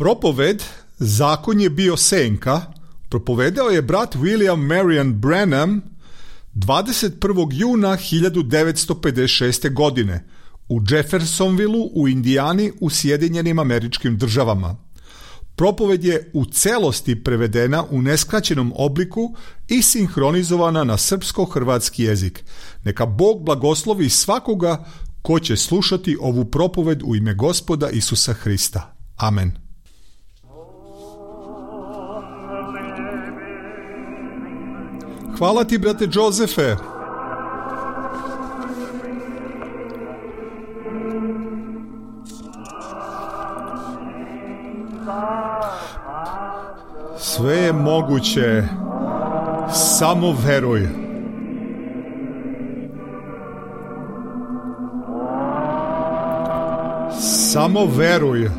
Propoved Zakon je bio senka propovedao je brat William Marion Branham 21. juna 1956. godine u Jeffersonvilleu u Indijani u Sjedinjenim Američkim Državama. Propoved je u celosti prevedena u neskraćenom obliku i sinhronizovana na srpsko-hrvatski jezik. Neka Bog blagoslovi svakoga ko će slušati ovu propoved u ime Gospoda Isusa Hrista. Amen. Hvala ti, brate Jozefe. Sve je moguće, samo veruj. Samo veruj.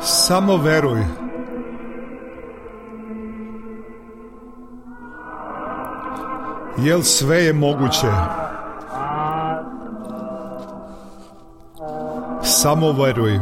Samo veruj. Jel sve je moguće? Samo veruj.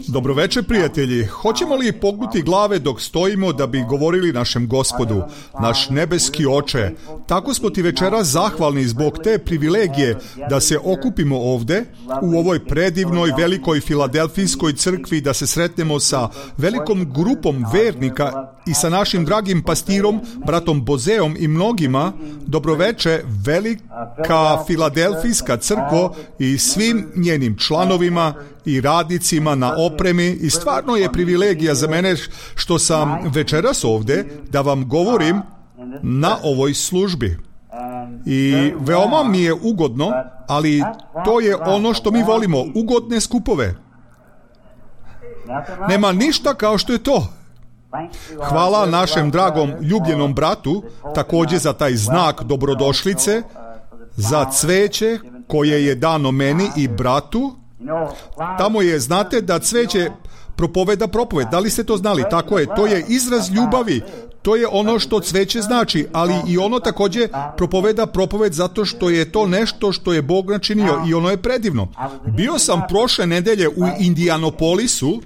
Dobroveče, prijatelji. Hoćemo li pognuti glave dok stojimo da bi govorili našem Gospodu, naš nebeski Oče? Tako smo ti večeras zahvalni zbog te privilegije da se okupimo ovde u ovoj predivnoj velikoj Filadelfijskoj crkvi, da se sretnemo sa velikom grupom vernika i sa našim dragim pastirom, bratom Bozeom i mnogima. Dobroveče, velika Filadelfijska crkvo i svim njenim članovima i radnicima na opremi, i stvarno je privilegija za mene što sam večeras ovde da vam govorim na ovoj službi. I veoma mi je ugodno, ali to je ono što mi volimo, ugodne skupove. Nema ništa kao što je to. Hvala našem dragom ljubljenom bratu također za taj znak dobrodošlice, za cveće koje je dano meni i bratu. Tamo je, znate da cveće propoveda propoved. Da li ste to znali? Tako je, to je izraz ljubavi. To je ono što cveće znači, ali i ono također propoveda propoved zato što je to nešto što je Bog načinio i ono je predivno. Bio sam prošle nedelje u Indianapolisu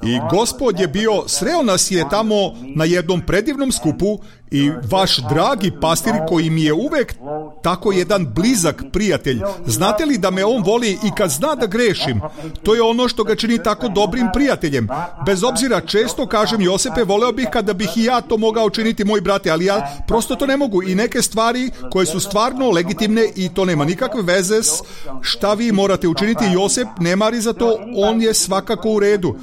i Gospod je bio, sreo nas je tamo na jednom predivnom skupu i vaš dragi pastir koji mi je uvek tako jedan blizak prijatelj. Znate li da me on voli i kad zna da grešim? To je ono što ga čini tako dobrim prijateljem. Bez obzira, često kažem, Josipe, voleo bih kada bih i ja to mogao činiti, moj brate, ali ja prosto to ne mogu. I neke stvari koje su stvarno legitimne i to nema nikakve veze s šta vi morate učiniti. Josip ne mari za to, on je svakako u redu.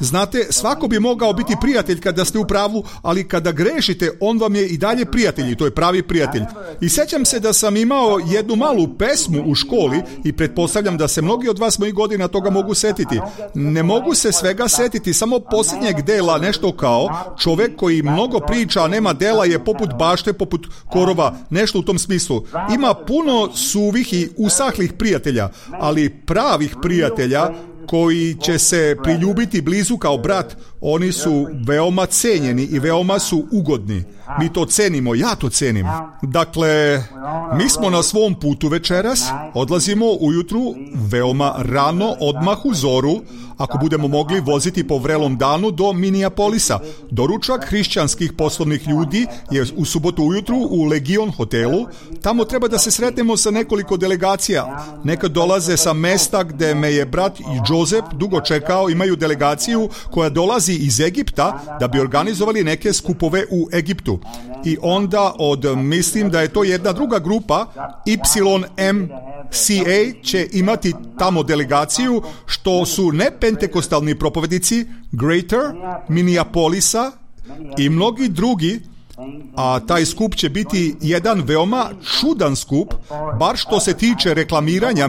Znate, svako bi mogao biti prijatelj kada ste u pravu, ali kada grešite, on vam je i dalje prijatelj i to je pravi prijatelj. I sećam se da sam imao jednu malu pesmu u školi i pretpostavljam da se mnogi od vas mojih godina toga mogu setiti. Ne mogu se svega setiti, samo posljednjeg dela, nešto kao čovjek koji mnogo priča, a nema dela, je poput bašte, poput korova, nešto u tom smislu. Ima puno suvih i usahlih prijatelja, ali pravih prijatelja koji će se priljubiti blizu kao brat, oni su veoma cenjeni i veoma su ugodni. Mi to cenimo, ja to cenim. Dakle, mi smo na svom putu večeras, odlazimo ujutru veoma rano, odmah u zoru, ako budemo mogli voziti po vrelom danu do Minneapolisa. Doručak hrišćanskih poslovnih ljudi je u subotu ujutru u Legion hotelu. Tamo treba da se sretnemo sa nekoliko delegacija. Neka dolaze sa mesta gde me je brat i Joseph dugo čekao, imaju delegaciju koja dolazi iz Egipta da bi organizovali neke skupove u Egiptu. I onda mislim da je to jedna druga grupa, YMCA, će imati tamo delegaciju, što su ne pentekostalni propovedici Greater Minneapolisa i mnogi drugi, a taj skup će biti jedan veoma čudan skup, bar što se tiče reklamiranja.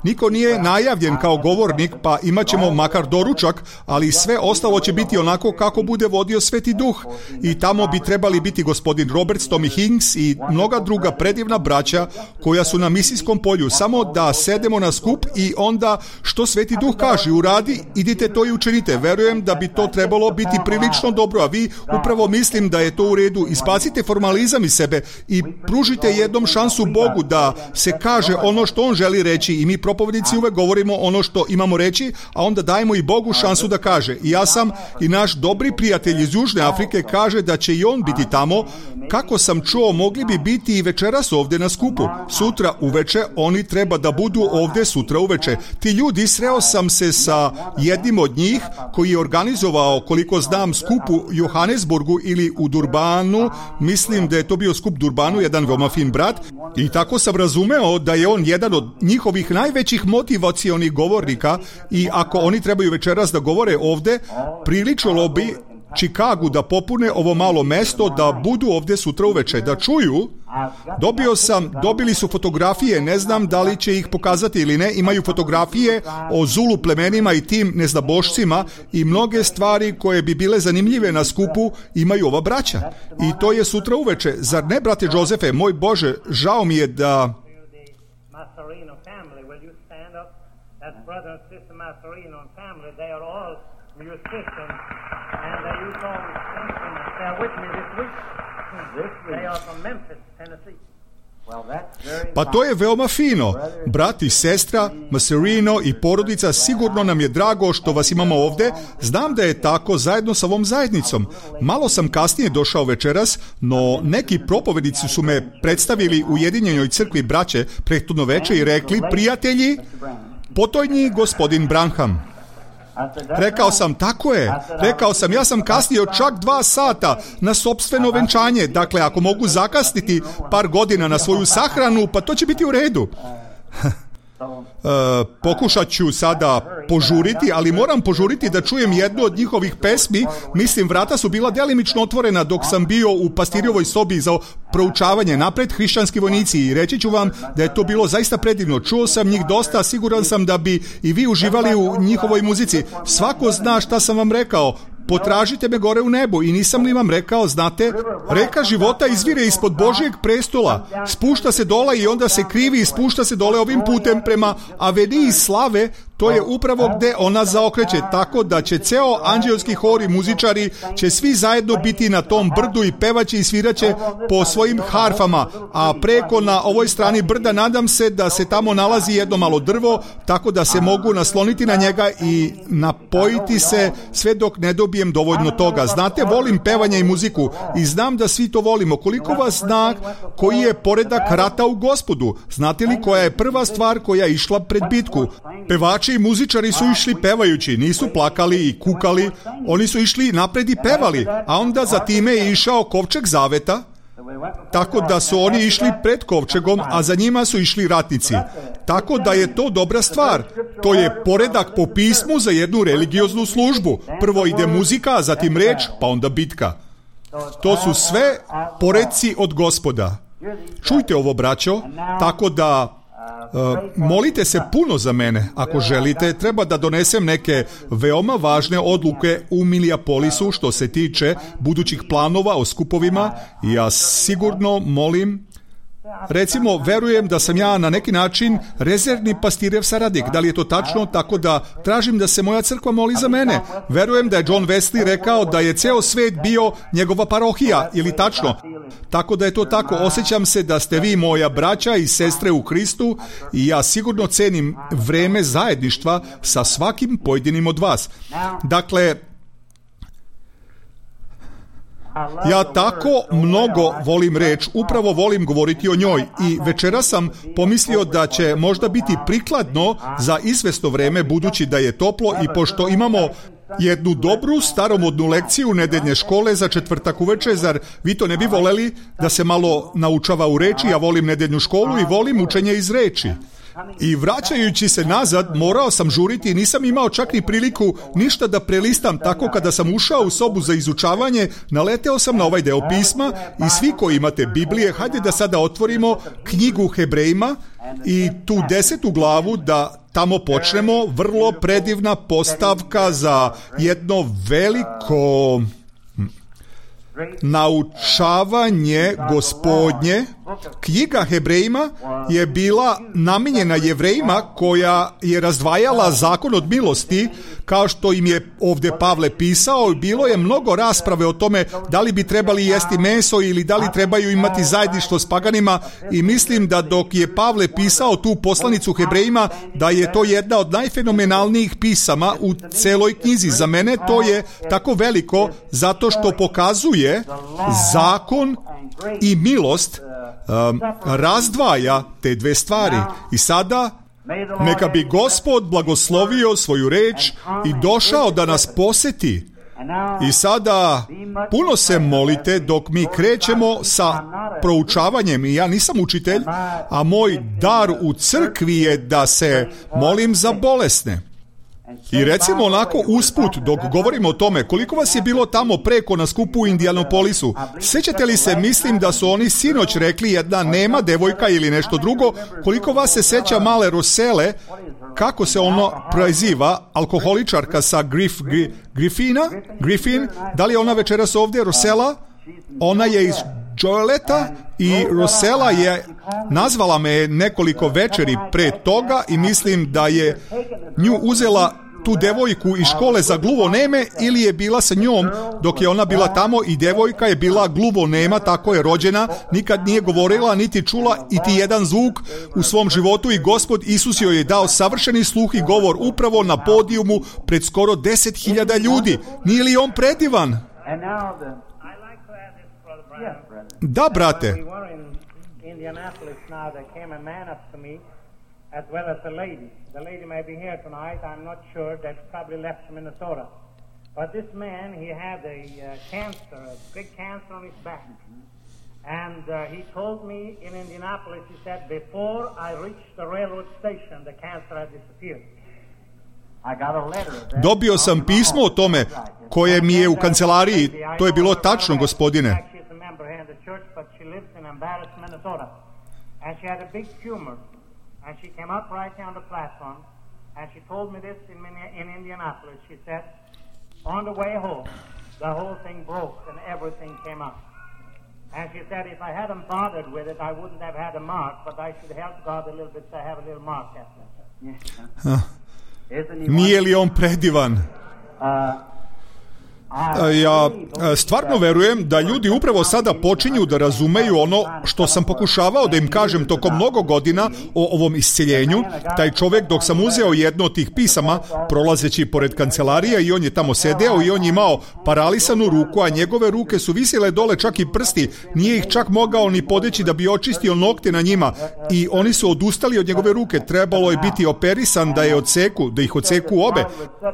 Niko nije najavljen kao govornik, pa imat ćemo makar doručak, ali sve ostalo će biti onako kako bude vodio Sveti Duh. I tamo bi trebali biti gospodin Roberts, Tommy Hinks i mnoga druga predivna braća koja su na misijskom polju. Samo da sedemo na skup i onda što Sveti Duh kaže, uradi, idite to i učinite. Verujem da bi to trebalo biti prilično dobro, a vi upravo mislim da je to u redu. redu, ispacite formalizam iz sebe i pružite jednom šansu Bogu da se kaže ono što on želi reći i mi propovednici uvek govorimo ono što imamo reći, a onda dajemo i Bogu šansu da kaže. I ja sam i naš dobri prijatelj iz Južne Afrike kaže da će i on biti tamo. Kako sam čuo, mogli bi biti i večeras ovdje na skupu. Sutra uveče, oni treba da budu ovdje sutra uveče. Ti ljudi, sreo sam se sa jednim od njih koji je organizovao, koliko znam, skup u Johannesburgu ili u Durbanu. Mislim da je to bio skup Durbanu, jedan veoma fin brat. I tako sam razumeo da je on jedan od njihovih najvećih motivacionih govornika i ako oni trebaju večeras da govore ovdje, priličilo bi Čikagu da popune ovo malo mesto, da budu ovdje sutra uveče, da čuju. Dobili su fotografije, ne znam da li će ih pokazati ili ne, imaju fotografije o Zulu plemenima i tim neznabošcima i mnoge stvari koje bi bile zanimljive na skupu imaju ova braća. I to je sutra uveče. Zar ne, brate Jozefe, moj Bože, žao mi je da... And they use all these instruments. They're with me this week. They are from Memphis, Tennessee. Pa to je veoma fino. Brat i sestra, Maserino i porodica, sigurno nam je drago što vas imamo ovdje. Znam da je tako zajedno sa ovom zajednicom. Malo sam kasnije došao večeras, no neki propovednici su me predstavili u Ujedinjenoj crkvi braće prethodno veče i rekli, prijatelji, potojnji gospodin Branham. Rekao sam, tako je. Rekao sam, ja sam kasnio čak 2 sata na sopstveno venčanje. Dakle, ako mogu zakasniti par godina na svoju sahranu, pa to će biti u redu. Pokušat ću sada požuriti, ali moram požuriti da čujem jednu od njihovih pesmi. Mislim, vrata su bila delimično otvorena dok sam bio u pastirjovoj sobi za proučavanje napred hrišćanski vojnici i reći ću vam da je to bilo zaista predivno. Čuo sam njih dosta, siguran sam da bi i vi uživali u njihovoj muzici. Svako zna šta sam vam rekao. Potražite me gore u nebu i nisam li vam rekao, znate, reka života izvire ispod Božjeg prestola, spušta se dole i onda se krivi i spušta se dole ovim putem prema aveniji slave. To je upravo gde ona zaokreće, tako da će ceo anđelski hor i muzičari će svi zajedno biti na tom brdu i pevaće i sviraće po svojim harfama, a preko na ovoj strani brda nadam se da se tamo nalazi jedno malo drvo, tako da se mogu nasloniti na njega i napojiti se sve dok ne dobijem dovoljno toga. Znate, volim pevanje i muziku i znam da svi to volimo. Koliko vas zna koji je poredak rata u Gospodu? Znate li koja je prva stvar koja je išla pred bitku? Pevači i muzičari su išli pevajući, nisu plakali i kukali, oni su išli napred i pevali, a onda za time je išao kovčeg zaveta, tako da su oni išli pred kovčegom, a za njima su išli ratnici. Tako da je to dobra stvar. To je poredak po pismu za jednu religioznu službu. Prvo ide muzika, a zatim reč, pa onda bitka. To su sve poredci od Gospoda. Čujte ovo, braćo, tako da molite se puno za mene. Ako želite, treba da donesem neke veoma važne odluke u Minneapolisu što se tiče budućih planova o skupovima i ja sigurno molim. Recimo, verujem da sam ja na neki način rezervni pastirjev saradnik. Da li je to tačno? Tako da tražim da se moja crkva moli za mene. Verujem da je John Wesley rekao da je ceo svet bio njegova parohija, ili tačno? Tako da je to tako. Osjećam se da ste vi moja braća i sestre u Hristu i ja sigurno cenim vreme zajedništva sa svakim pojedinim od vas. Dakle, ja tako mnogo volim reč, upravo volim govoriti o njoj i večera sam pomislio da će možda biti prikladno za izvesno vreme budući da je toplo i pošto imamo jednu dobru staromodnu lekciju nedeljne škole za četvrtak uveče, zar vi to ne bi voleli da se malo naučava u reči? Ja volim nedeljnu školu i volim učenje iz reči. I vraćajući se nazad, morao sam žuriti i nisam imao čak ni priliku ništa da prelistam, tako kada sam ušao u sobu za izučavanje, naleteo sam na ovaj deo pisma i svi koji imate Biblije, hajde da sada otvorimo knjigu Hebrejima i tu 10. glavu da tamo počnemo. Vrlo predivna postavka za jedno veliko naučavanje Gospodnje. Knjiga Hebrejima je bila namijenjena Jevrejima koja je razdvajala zakon od milosti, kao što im je ovdje Pavle pisao. Bilo je mnogo rasprave o tome da li bi trebali jesti meso ili da li trebaju imati zajedništvo s paganima, i mislim da dok je Pavle pisao tu poslanicu Hebrejima, da je to jedna od najfenomenalnijih pisama u celoj knjizi. Za mene to je tako veliko zato što pokazuje zakon i milost, razdvaja te dve stvari. I sada neka bi Gospod blagoslovio svoju reč i došao da nas poseti. I sada puno se molite dok mi krećemo sa proučavanjem. I ja nisam učitelj, a moj dar u crkvi je da se molim za bolesne. I recimo onako usput, dok govorimo o tome, koliko vas je bilo tamo preko na skupu u Indianapolisu? Sjećate li se, mislim da su oni sinoć rekli jedna nema devojka ili nešto drugo, koliko vas se sjeća male Rosele, kako se ono preziva, alkoholičarka sa Griffin, da li je ona večeras ovdje, Rosela? Ona je iz Joeleta i Rosela je nazvala me nekoliko večeri pre toga i mislim da je nju uzela tu devojku iz škole za gluvoneme ili je bila sa njom dok je ona bila tamo, i devojka je bila gluvonema, tako je rođena, nikad nije govorila niti čula iti jedan zvuk u svom životu, i Gospod Isus joj je dao savršeni sluh i govor upravo na podijumu pred skoro 10.000 ljudi. Nije li on predivan? Da, brate. As well as the lady. The lady may be here tonight. I'm not sure. They've probably left to Minnesota. But this man, he had a cancer, a big cancer on his back. And he told me in Indianapolis, he said, before I reached the railroad station, the cancer had disappeared. Dobio sam pismo o tome koje mi je u kancelariji. To je bilo tačno, gospodine. And she had a big tumor. And she came up right here on the platform, and she told me this in Indianapolis. She said, on the way home, the whole thing broke and everything came up. And she said, if I hadn't bothered with it, I wouldn't have had a mark, but I should help God a little bit to have a little mark at it. Nije li on predivan? Ja stvarno verujem da ljudi upravo sada počinju da razumeju ono što sam pokušavao da im kažem tokom mnogo godina o ovom isceljenju. Taj čovjek, dok sam uzeo jedno od tih pisama, prolazeći pored kancelarija, i on je tamo sedeo i on je imao paralisanu ruku, a njegove ruke su visjele dole, čak i prsti. Nije ih čak mogao ni podeći da bi očistio nokte na njima, i oni su odustali od njegove ruke. Trebalo je biti operisan da ih odseku obe.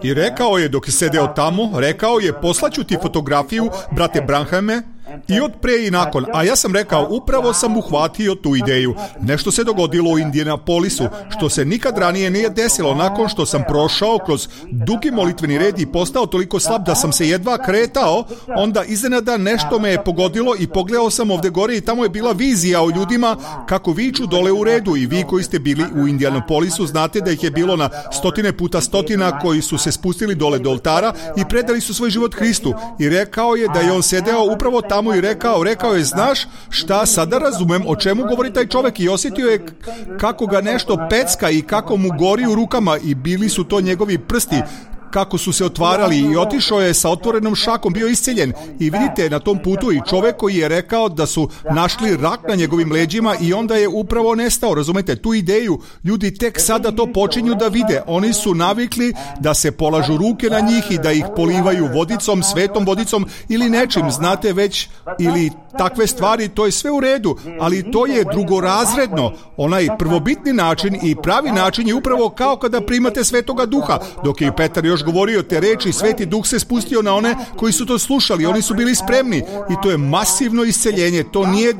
I rekao je, dok je sedeo tamo, rekao je, poslaću ti fotografiju, brate Branhame, i od pre i nakon. A ja sam rekao, upravo sam uhvatio tu ideju. Nešto se dogodilo u Indianapolisu, što se nikad ranije nije desilo. Nakon što sam prošao kroz dugi molitveni red i postao toliko slab da sam se jedva kretao, onda iznenada nešto me je pogodilo i pogledao sam ovdje gore i tamo je bila vizija o ljudima kako viču dole u redu. I vi koji ste bili u Indianapolisu znate da ih je bilo na stotine puta stotina koji su se spustili dole do oltara i predali su svoj život Hristu. I rekao je da je on sedeo upravo tamo i rekao je, znaš šta, sada razumem o čemu govori taj čovjek, i osjetio je kako ga nešto pecka i kako mu gori u rukama, i bili su to njegovi prsti kako su se otvarali, i otišao je sa otvorenom šakom, bio isceljen. I vidite na tom putu i čovjek koji je rekao da su našli rak na njegovim leđima i onda je upravo nestao. Razumete, tu ideju ljudi tek sada to počinju da vide. Oni su navikli da se polažu ruke na njih i da ih polivaju vodicom, svetom vodicom ili nečim, znate već, ili takve stvari. To je sve u redu, ali to je drugorazredno. Onaj prvobitni način i pravi način je upravo kao kada primate Svetoga Duha. Dok je Petar još govorio te reči, Sveti Duh se spustio na one koji su to slušali. Oni su bili spremni i to je masivno isceljenje. To nije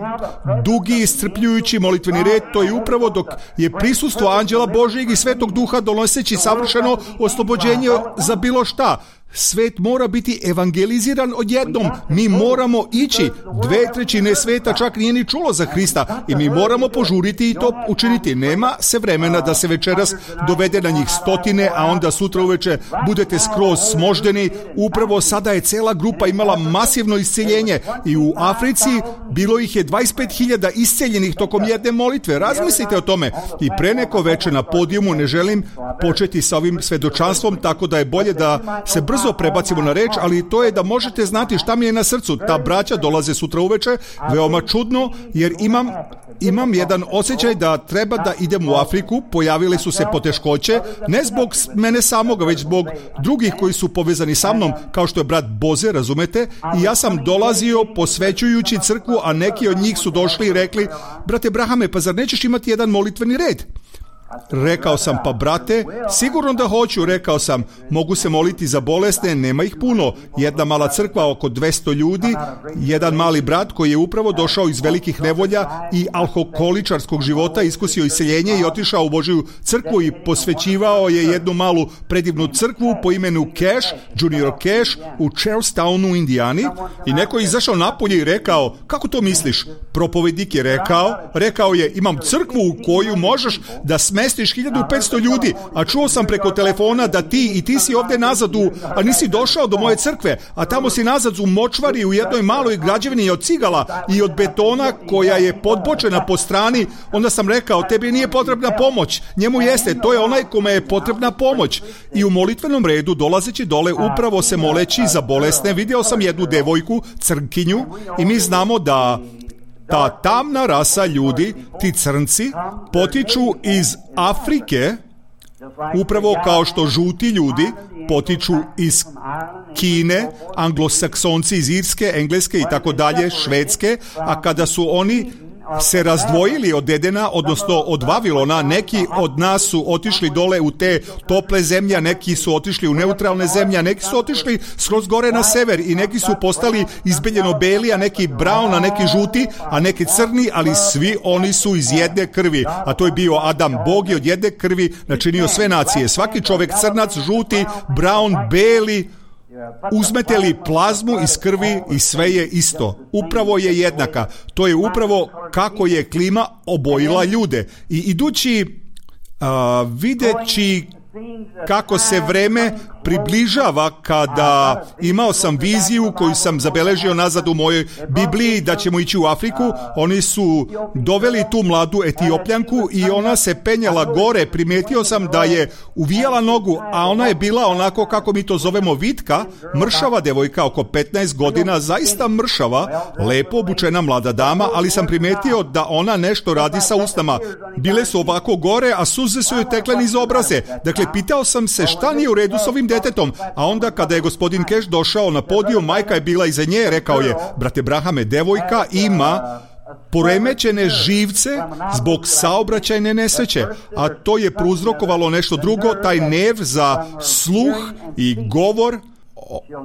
dugi iscrpljujući molitveni red, to je upravo dok je prisustvo anđela Božjeg i Svetog Duha donoseći savršeno oslobođenje za bilo šta. Svet mora biti evangeliziran odjednom. Mi moramo ići. 2/3 sveta čak nije ni čulo za Hrista i mi moramo požuriti i to učiniti. Nema se vremena da se večeras dovede na njih stotine, a onda sutra uveče budete skroz smoždeni. Upravo sada je cela grupa imala masivno isceljenje i u Africi bilo ih je 25.000 isceljenih tokom jedne molitve. Razmislite o tome. I pre neko veče na podijumu, ne želim početi sa ovim svedočanstvom, tako da je bolje da se brzo prebacimo na reč, ali to je da možete znati šta mi je na srcu. Ta braća dolaze sutra uveče, veoma čudno, jer imam jedan osjećaj da treba da idem u Afriku. Pojavile su se poteškoće, ne zbog mene samoga, već zbog drugih koji su povezani sa mnom, kao što je brat Boze, razumete? I ja sam dolazio posvećujući crkvu, a neki od njih su došli i rekli: brate Brahame, pa zar nećeš imati jedan molitveni red? Rekao sam: pa brate, sigurno da hoću. Rekao sam: mogu se moliti za bolesne, nema ih puno. Jedna mala crkva, oko 200 ljudi, jedan mali brat koji je upravo došao iz velikih nevolja i alkoholičarskog života, iskusio iseljenje i otišao u Božju crkvu i posvećivao je jednu malu predivnu crkvu po imenu Cash, Junior Cash, u Charlestownu u Indijani. I neko je izašao napolje i rekao: kako to misliš? Propovednik je rekao je: imam crkvu u koju možeš da smestiš 1500 ljudi, a čuo sam preko telefona da ti si ovdje nazad a nisi došao do moje crkve, a tamo si nazad u močvari u jednoj maloj građevini od cigala i od betona koja je podbočena po strani. Onda sam rekao: tebi nije potrebna pomoć, njemu jeste, to je onaj kome je potrebna pomoć. I u molitvenom redu, dolazeći dole, upravo se moleći za bolesne, vidio sam jednu devojku, crnkinju, i mi znamo da ta tamna rasa ljudi, ti crnci, potiču iz Afrike, upravo kao što žuti ljudi potiču iz Kine, anglosaksonci iz Irske, Engleske i tako dalje, Švedske, a kada su oni se razdvojili od Edena, odnosno od Vavilona, neki od nas su otišli dole u te tople zemlje, a neki su otišli u neutralne zemlje, a neki su otišli skroz gore na sever i neki su postali izbeljeno beli, a neki brown, a neki žuti, a neki crni, ali svi oni su iz jedne krvi, a to je bio Adam. Bog je od jedne krvi načinio sve nacije. Svaki čovjek crnac, žuti, brown, beli, uzmete li plazmu iz krvi i sve je isto. Upravo je jednaka. To je upravo kako je klima obojila ljude. I idući, videći kako se vreme približava, kada imao sam viziju koju sam zabeležio nazad u mojoj Bibliji da ćemo ići u Afriku, oni su doveli tu mladu Etiopljanku i ona se penjala gore. Primijetio sam da je uvijala nogu, a ona je bila onako, kako mi to zovemo, vitka, mršava devojka, oko 15 godina, zaista mršava, lepo obučena mlada dama, ali sam primijetio da ona nešto radi sa usnama. Bile su ovako gore, a suze su joj tekle niz obraze. Dakle, pitao sam se šta nije u redu s ovim detetom, a onda kada je gospodin Cash došao na podijum, majka je bila iza nje, rekao je: brate Brahame, devojka ima poremećene živce zbog saobraćajne nesreće, a to je prouzrokovalo nešto drugo, taj nerv za sluh i govor.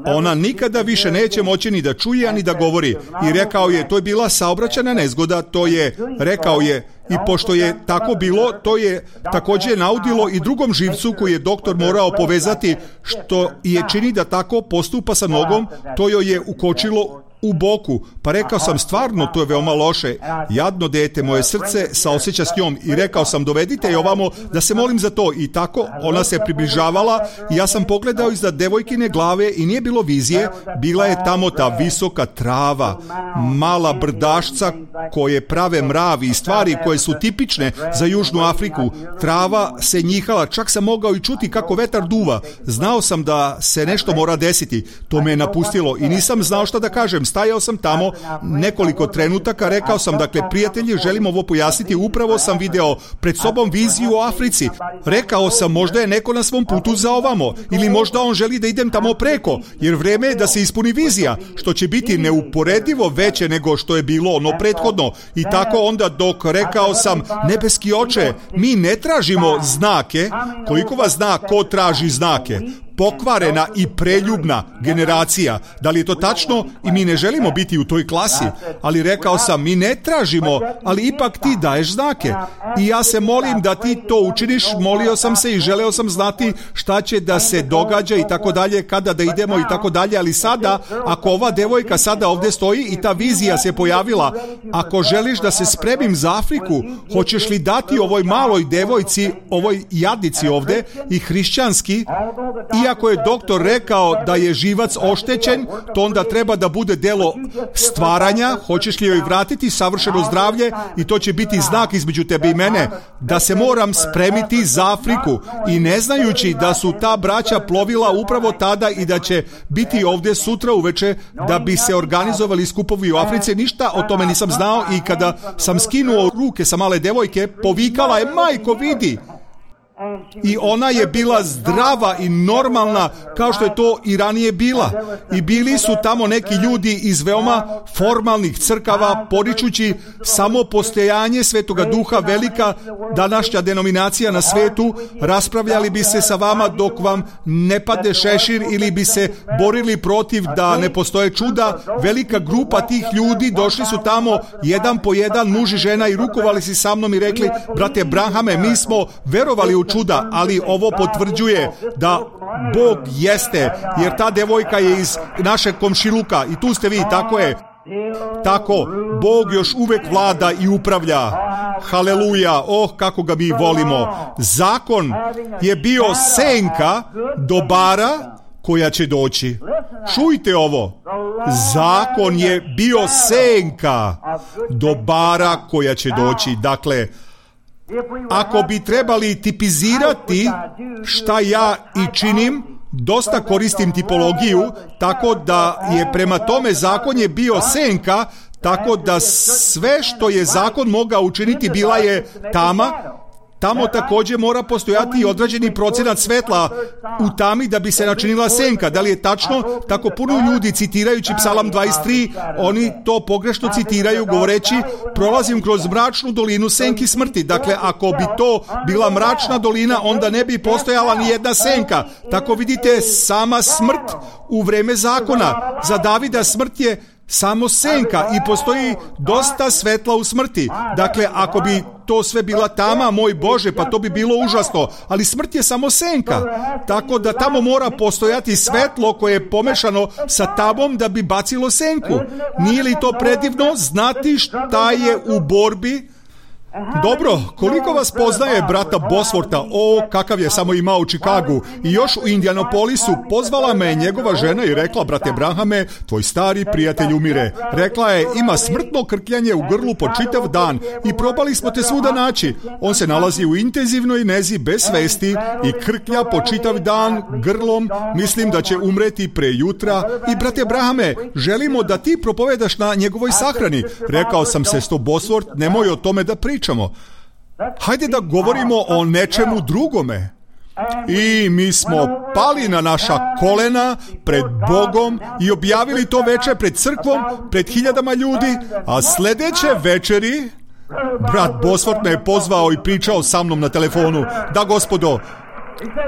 Ona nikada više neće moći ni da čuje, ni da govori. I rekao je, to je bila saobraćajna nezgoda, to je, rekao je, i pošto je tako bilo, to je također naudilo i drugom živcu koji je doktor morao povezati, što je čini da tako postupa sa nogom, to joj je ukočilo u boku. Pa rekao sam, stvarno, to je veoma loše. Jadno dete, moje srce saosjeća s njom. I rekao sam, dovedite je ovamo da se molim za to. I tako ona se približavala i ja sam pogledao iznad devojkine glave i nije bilo vizije. Bila je tamo ta visoka trava, mala brdašca koje prave mravi i stvari koje su tipične za Južnu Afriku. Trava se njihala, čak sam mogao i čuti kako vetar duva. Znao sam da se nešto mora desiti. To me je napustilo i nisam znao šta da kažem. Stajao sam tamo nekoliko trenutaka, rekao sam, dakle, prijatelji, želim ovo pojasniti, upravo sam video pred sobom viziju o Africi. Rekao sam, možda je neko na svom putu za ovamo, ili možda on želi da idem tamo preko, jer vreme je da se ispuni vizija, što će biti neuporedivo veće nego što je bilo ono prethodno. I tako onda dok rekao sam, nebeski oče, mi ne tražimo znake, koliko vas zna ko traži znake? pokvarena i preljubna generacija. Da li je to tačno? I mi ne želimo biti u toj klasi. Ali rekao sam, mi ne tražimo, ali ipak ti daješ znake. I ja se molim da ti to učiniš. Molio sam se i želeo sam znati šta će da se događa i tako dalje, kada da idemo i tako dalje. Ali sada, ako ova devojka sada ovdje stoji i ta vizija se pojavila, ako želiš da se spremim za Afriku, hoćeš li dati ovoj maloj devojci, ovoj jadnici ovdje i hrišćanski, iako je doktor rekao da je živac oštećen, to onda treba da bude delo stvaranja. Hoćeš li joj vratiti savršeno zdravlje i to će biti znak između tebe i mene, da se moram spremiti za Afriku. I ne znajući da su ta braća plovila upravo tada i da će biti ovdje sutra uveče da bi se organizovali skupovi u Africi, ništa o tome nisam znao i kada sam skinuo ruke sa male devojke, povikala je, majko vidi. I ona je bila zdrava i normalna kao što je to i ranije bila. I bili su tamo neki ljudi iz veoma formalnih crkava, poričući samo postojanje Svetoga Duha, velika današnja denominacija na svetu, raspravljali bi se sa vama dok vam ne padne šešir ili bi se borili protiv da ne postoje čuda. Velika grupa tih ljudi došli su tamo jedan po jedan, muž i žena, i rukovali se sa mnom i rekli, brate Branhame, mi smo verovali u čuda, ali ovo potvrđuje da Bog jeste, jer ta devojka je iz našeg komšiluka i tu ste vi, tako je. Tako, Bog još uvek vlada i upravlja. Haleluja, kako ga mi volimo. Zakon je bio senka dobara koja će doći. Čujte ovo. Zakon je bio senka dobara koja će doći. Dakle, ako bi trebali tipizirati šta ja i činim, dosta koristim tipologiju, tako da je prema tome zakon je bio senka, tako da sve što je zakon mogao učiniti bila je tama. Tamo također mora postojati i određeni procenat svetla u tami da bi se načinila senka. Da li je tačno? Tako puno ljudi citirajući Psalam 23, oni to pogrešno citiraju govoreći, prolazim kroz mračnu dolinu senki smrti. Dakle, ako bi to bila mračna dolina, onda ne bi postojala ni jedna senka. Tako vidite, sama smrt u vreme zakona. Za Davida smrt je samo senka i postoji dosta svetla u smrti. Dakle, ako bi to sve bila tama, moj Bože, pa to bi bilo užasno. Ali smrt je samo senka. Tako da tamo mora postojati svetlo koje je pomešano sa tamom da bi bacilo senku. Nije li to predivno znati šta je u borbi? Dobro, koliko vas poznaje brata Bosworta? Kakav je samo imao u Čikagu. I još u Indianapolisu pozvala me njegova žena i rekla, brate Branhame, tvoj stari prijatelj umire. Rekla je, ima smrtno krkljanje u grlu po čitav dan i probali smo te svuda naći. On se nalazi u intenzivnoj nezi bez svesti i krklja po čitav dan grlom. Mislim da će umreti pre jutra. I brate Branhame, želimo da ti propovedaš na njegovoj sahrani. Rekao sam, sestro Bosworth, nemoj o tome da pričamo. Hajde da govorimo o nečemu drugome. I mi smo pali na naša kolena pred Bogom i objavili to večer pred crkvom, pred hiljadama ljudi, a sljedeće večeri brat Bosworth me je pozvao i pričao sa mnom na telefonu. Da, gospodo.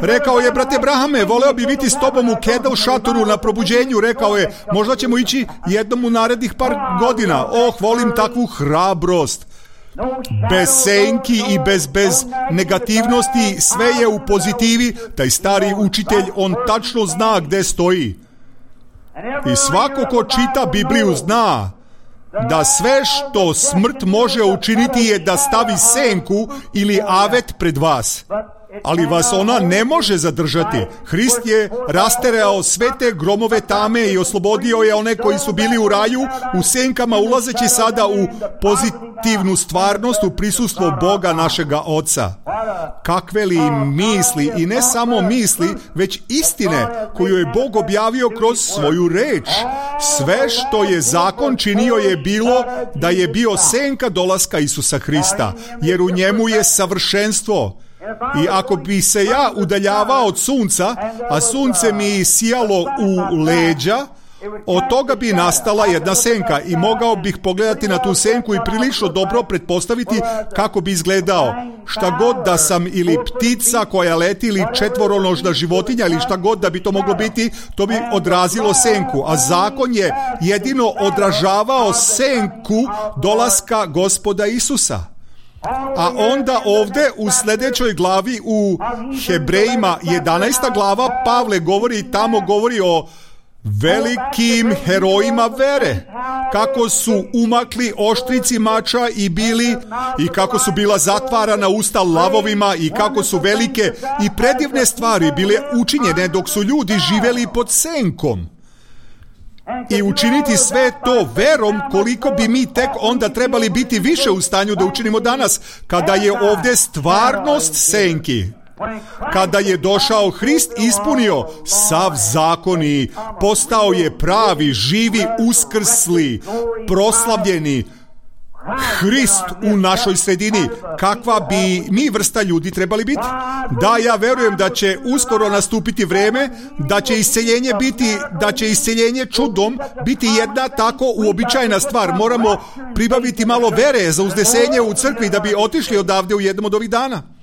Rekao je, brate Brahame, voleo bi biti s tobom u Kedel šatoru na probuđenju. Rekao je, možda ćemo ići jednom u narednih par godina. Volim takvu hrabrost. Bez senki i bez negativnosti, sve je u pozitivi. Taj stari učitelj, on tačno zna gde stoji. I svako ko čita Bibliju zna da sve što smrt može učiniti je da stavi senku ili avet pred vas. Ali vas ona ne može zadržati. Hrist je rasterao sve te gromove tame i oslobodio je one koji su bili u raju, u senkama, ulazeći sada u pozitivnu stvarnost, u prisustvo Boga našega Oca. Kakve li misli, i ne samo misli, već istine koju je Bog objavio kroz svoju reč. Sve što je zakon činio je bilo da je bio senka dolaska Isusa Hrista, jer u njemu je savršenstvo. I ako bi se ja udaljavao od sunca, a sunce mi sijalo u leđa, od toga bi nastala jedna senka i mogao bih pogledati na tu senku i prilično dobro pretpostaviti kako bi izgledao. Šta god da sam ili ptica koja leti ili četvoronožna životinja ili šta god da bi to moglo biti, to bi odrazilo senku. A zakon je jedino odražavao senku dolaska Gospoda Isusa. A onda ovdje u sljedećoj glavi u Hebrejima 11. glava Pavle tamo govori o velikim herojima vere, kako su umakli oštrici mača i kako su bila zatvarana usta lavovima i kako su velike i predivne stvari bile učinjene dok su ljudi živjeli pod senkom. I učiniti sve to verom, koliko bi mi tek onda trebali biti više u stanju da učinimo danas, kada je ovdje stvarnost senki. Kada je došao Hrist, ispunio sav zakon i postao je pravi, živi, uskrsli, proslavljeni Hrist u našoj sredini. Kakva bi mi vrsta ljudi trebali biti? Da, ja verujem da će uskoro nastupiti vreme, da će isceljenje čudom biti jedna tako uobičajena stvar. Moramo pribaviti malo vere za uznesenje u crkvi da bi otišli odavde u jednom od ovih dana.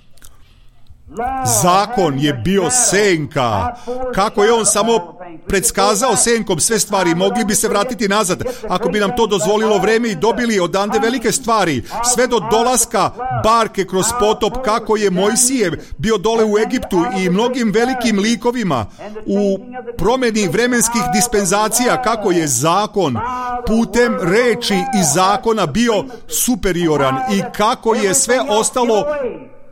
Zakon je bio senka. Kako je on samo predskazao senkom sve stvari, mogli bi se vratiti nazad ako bi nam to dozvolilo vreme i dobili odande velike stvari, sve do dolaska barke kroz potop, kako je Mojsije bio dole u Egiptu i mnogim velikim likovima u promjeni vremenskih dispenzacija, kako je zakon putem reči i zakona bio superioran i kako je sve ostalo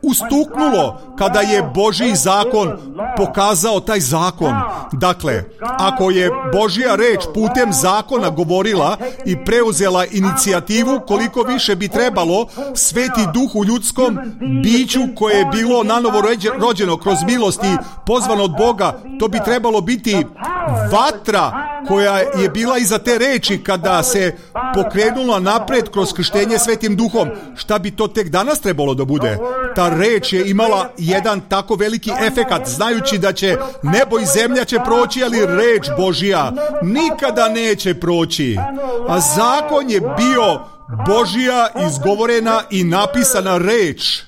ustuknulo kada je Božji zakon pokazao taj zakon. Dakle, ako je Božja reč putem zakona govorila i preuzela inicijativu, koliko više bi trebalo Sveti Duh u ljudskom biću koje je bilo nanovo rođeno kroz milost i pozvano od Boga, to bi trebalo biti vatra koja je bila iza te reči kada se pokrenula napred kroz krštenje Svetim Duhom. Šta bi to tek danas trebalo da bude? Ta reč je imala jedan tako veliki efekat, znajući da će nebo i zemlja će proći, ali reč Božja nikada neće proći. A zakon je bio Božja izgovorena i napisana reč.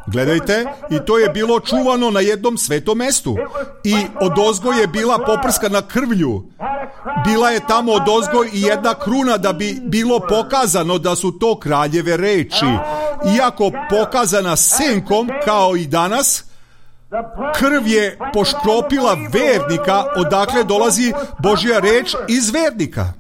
Gledajte, i to je bilo čuvano na jednom svetom mestu. I odozgo je bila poprskana krvlju. Bila je tamo odozgo i jedna kruna da bi bilo pokazano da su to kraljeve reči. Iako pokazana senkom kao i danas, krv je poškropila vernika, odakle dolazi Božja reč iz vernika.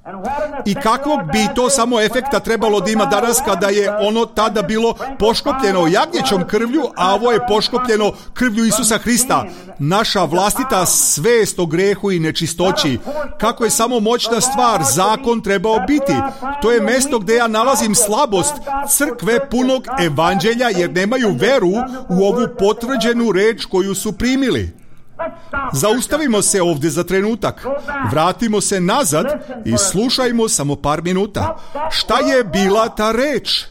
I kakvog bi to samo efekta trebalo da ima danas kada je ono tada bilo poškopljeno jagnjećom krvlju, a ovo je poškopljeno krvlju Isusa Hrista. Naša vlastita svest o grehu i nečistoći. Kako je samo moćna stvar zakon trebao biti. To je mesto gdje ja nalazim slabost crkve punog evanđelja, jer nemaju veru u ovu potvrđenu reč koju su primili. Zaustavimo se ovdje za trenutak. Vratimo se nazad i slušajmo samo par minuta. Šta je bila ta reč?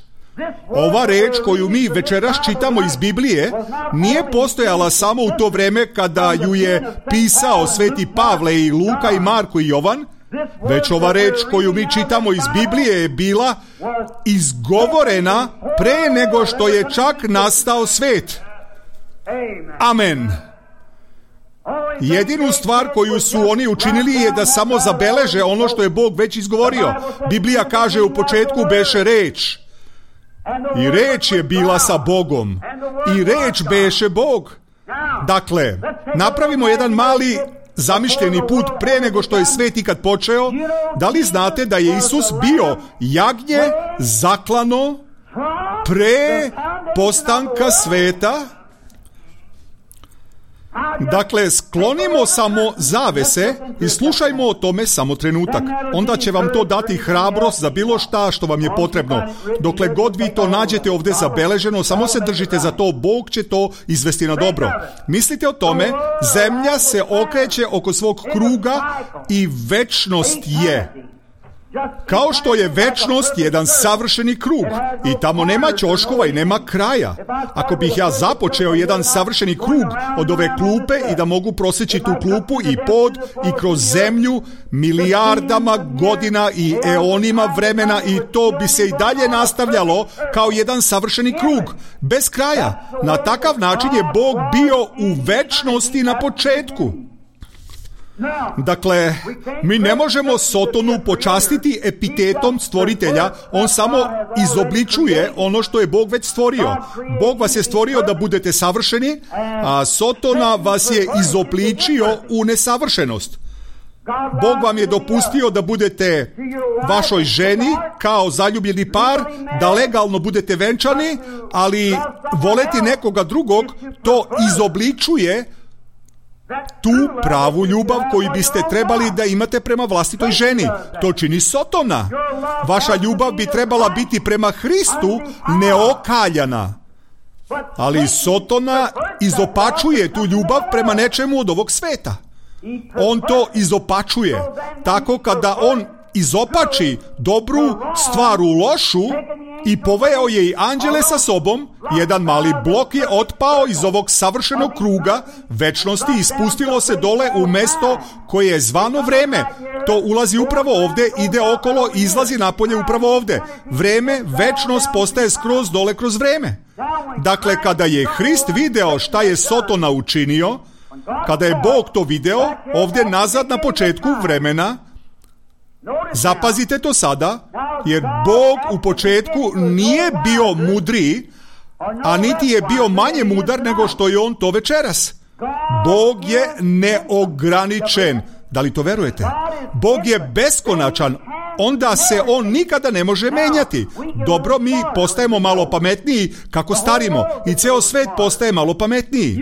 Ova reč koju mi večeras čitamo iz Biblije nije postojala samo u to vreme kada ju je pisao Sveti Pavle i Luka i Marko i Jovan, već ova reč koju mi čitamo iz Biblije je bila izgovorena pre nego što je čak nastao svet. Amen. Jedinu stvar koju su oni učinili je da samo zabeleže ono što je Bog već izgovorio. Biblija kaže u početku beše reč. I reč je bila sa Bogom. I reč beše Bog. Dakle, napravimo jedan mali zamišljeni put pre nego što je svet ikad počeo. Da li znate da je Isus bio jagnje zaklano pre postanka sveta? Dakle, sklonimo samo zavese i slušajmo o tome samo trenutak. Onda će vam to dati hrabrost za bilo šta što vam je potrebno. Dokle god vi to nađete ovdje zabeleženo, samo se držite za to, Bog će to izvesti na dobro. Mislite o tome, zemlja se okreće oko svog kruga i večnost je. Kao što je večnost jedan savršeni krug i tamo nema ćoškova i nema kraja. Ako bih ja započeo jedan savršeni krug od ove klupe i da mogu prosjeći tu klupu i pod i kroz zemlju milijardama godina i eonima vremena i to bi se i dalje nastavljalo kao jedan savršeni krug, bez kraja. Na takav način je Bog bio u večnosti na početku. Dakle, mi ne možemo Sotonu počastiti epitetom stvoritelja, on samo izobličuje ono što je Bog već stvorio. Bog vas je stvorio da budete savršeni, a Sotona vas je izobličio u nesavršenost. Bog vam je dopustio da budete vašoj ženi kao zaljubljeni par, da legalno budete venčani, ali voleti nekoga drugog to izobličuje tu pravu ljubav koju biste trebali da imate prema vlastitoj ženi. To čini Sotona. Vaša ljubav bi trebala biti prema Hristu neokaljana. Ali Sotona izopačuje tu ljubav prema nečemu od ovog sveta. On to izopačuje. Tako kada on izopači dobru stvar u lošu i poveo je i anđele sa sobom, jedan mali blok je otpao iz ovog savršenog kruga večnosti i spustilo se dole u mesto koje je zvano vreme. To ulazi upravo ovdje, ide okolo, izlazi napolje upravo ovdje. Vreme, večnost postaje skroz dole kroz vreme. Dakle, kada je Hrist video šta je Sotona učinio, kada je Bog to video, ovdje nazad na početku vremena, zapazite to sada, jer Bog u početku nije bio mudriji, a niti je bio manje mudar nego što je on to večeras. Bog je neograničen. Da li to verujete? Bog je beskonačan. Onda se on nikada ne može menjati. Dobro, mi postajemo malo pametniji kako starimo i ceo svet postaje malo pametniji.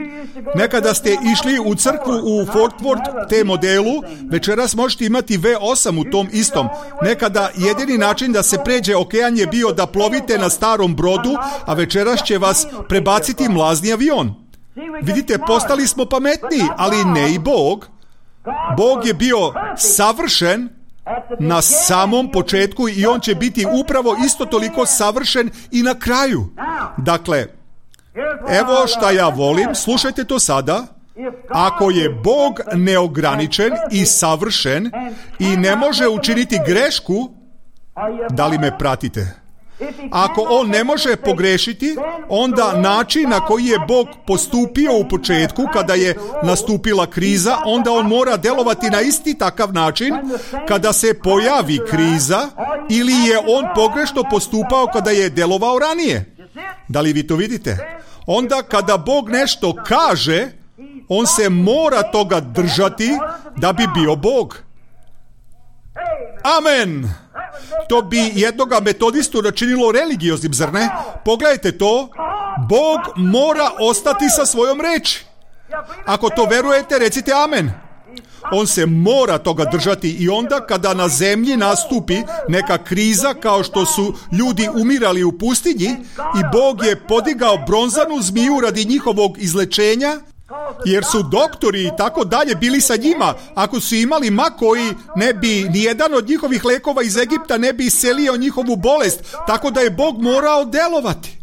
Nekada ste išli u crkvu u Fort Worth te modelu, večeras možete imati V8 u tom istom. Nekada jedini način da se pređe okean je bio da plovite na starom brodu, a večeras će vas prebaciti mlazni avion. Vidite, postali smo pametniji, ali ne i Bog. Bog je bio savršen na samom početku i on će biti upravo isto toliko savršen i na kraju. Dakle, evo šta ja volim, slušajte to sada. Ako je Bog neograničen i savršen i ne može učiniti grešku, da li me pratite? Ako on ne može pogrešiti, onda način na koji je Bog postupio u početku, kada je nastupila kriza, onda on mora delovati na isti takav način kada se pojavi kriza, ili je on pogrešno postupao kada je delovao ranije. Da li vi to vidite? Onda kada Bog nešto kaže, on se mora toga držati da bi bio Bog. Amen! To bi jednoga metodistu načinilo religioznim, zar ne? Pogledajte to. Bog mora ostati sa svojom reči. Ako to verujete, recite amen. On se mora toga držati i onda kada na zemlji nastupi neka kriza kao što su ljudi umirali u pustinji i Bog je podigao bronzanu zmiju radi njihovog izlečenja, jer su doktori i tako dalje bili sa njima. Ako su imali mak koji ne bi, nijedan od njihovih lekova iz Egipta ne bi iscelio njihovu bolest, tako da je Bog morao delovati.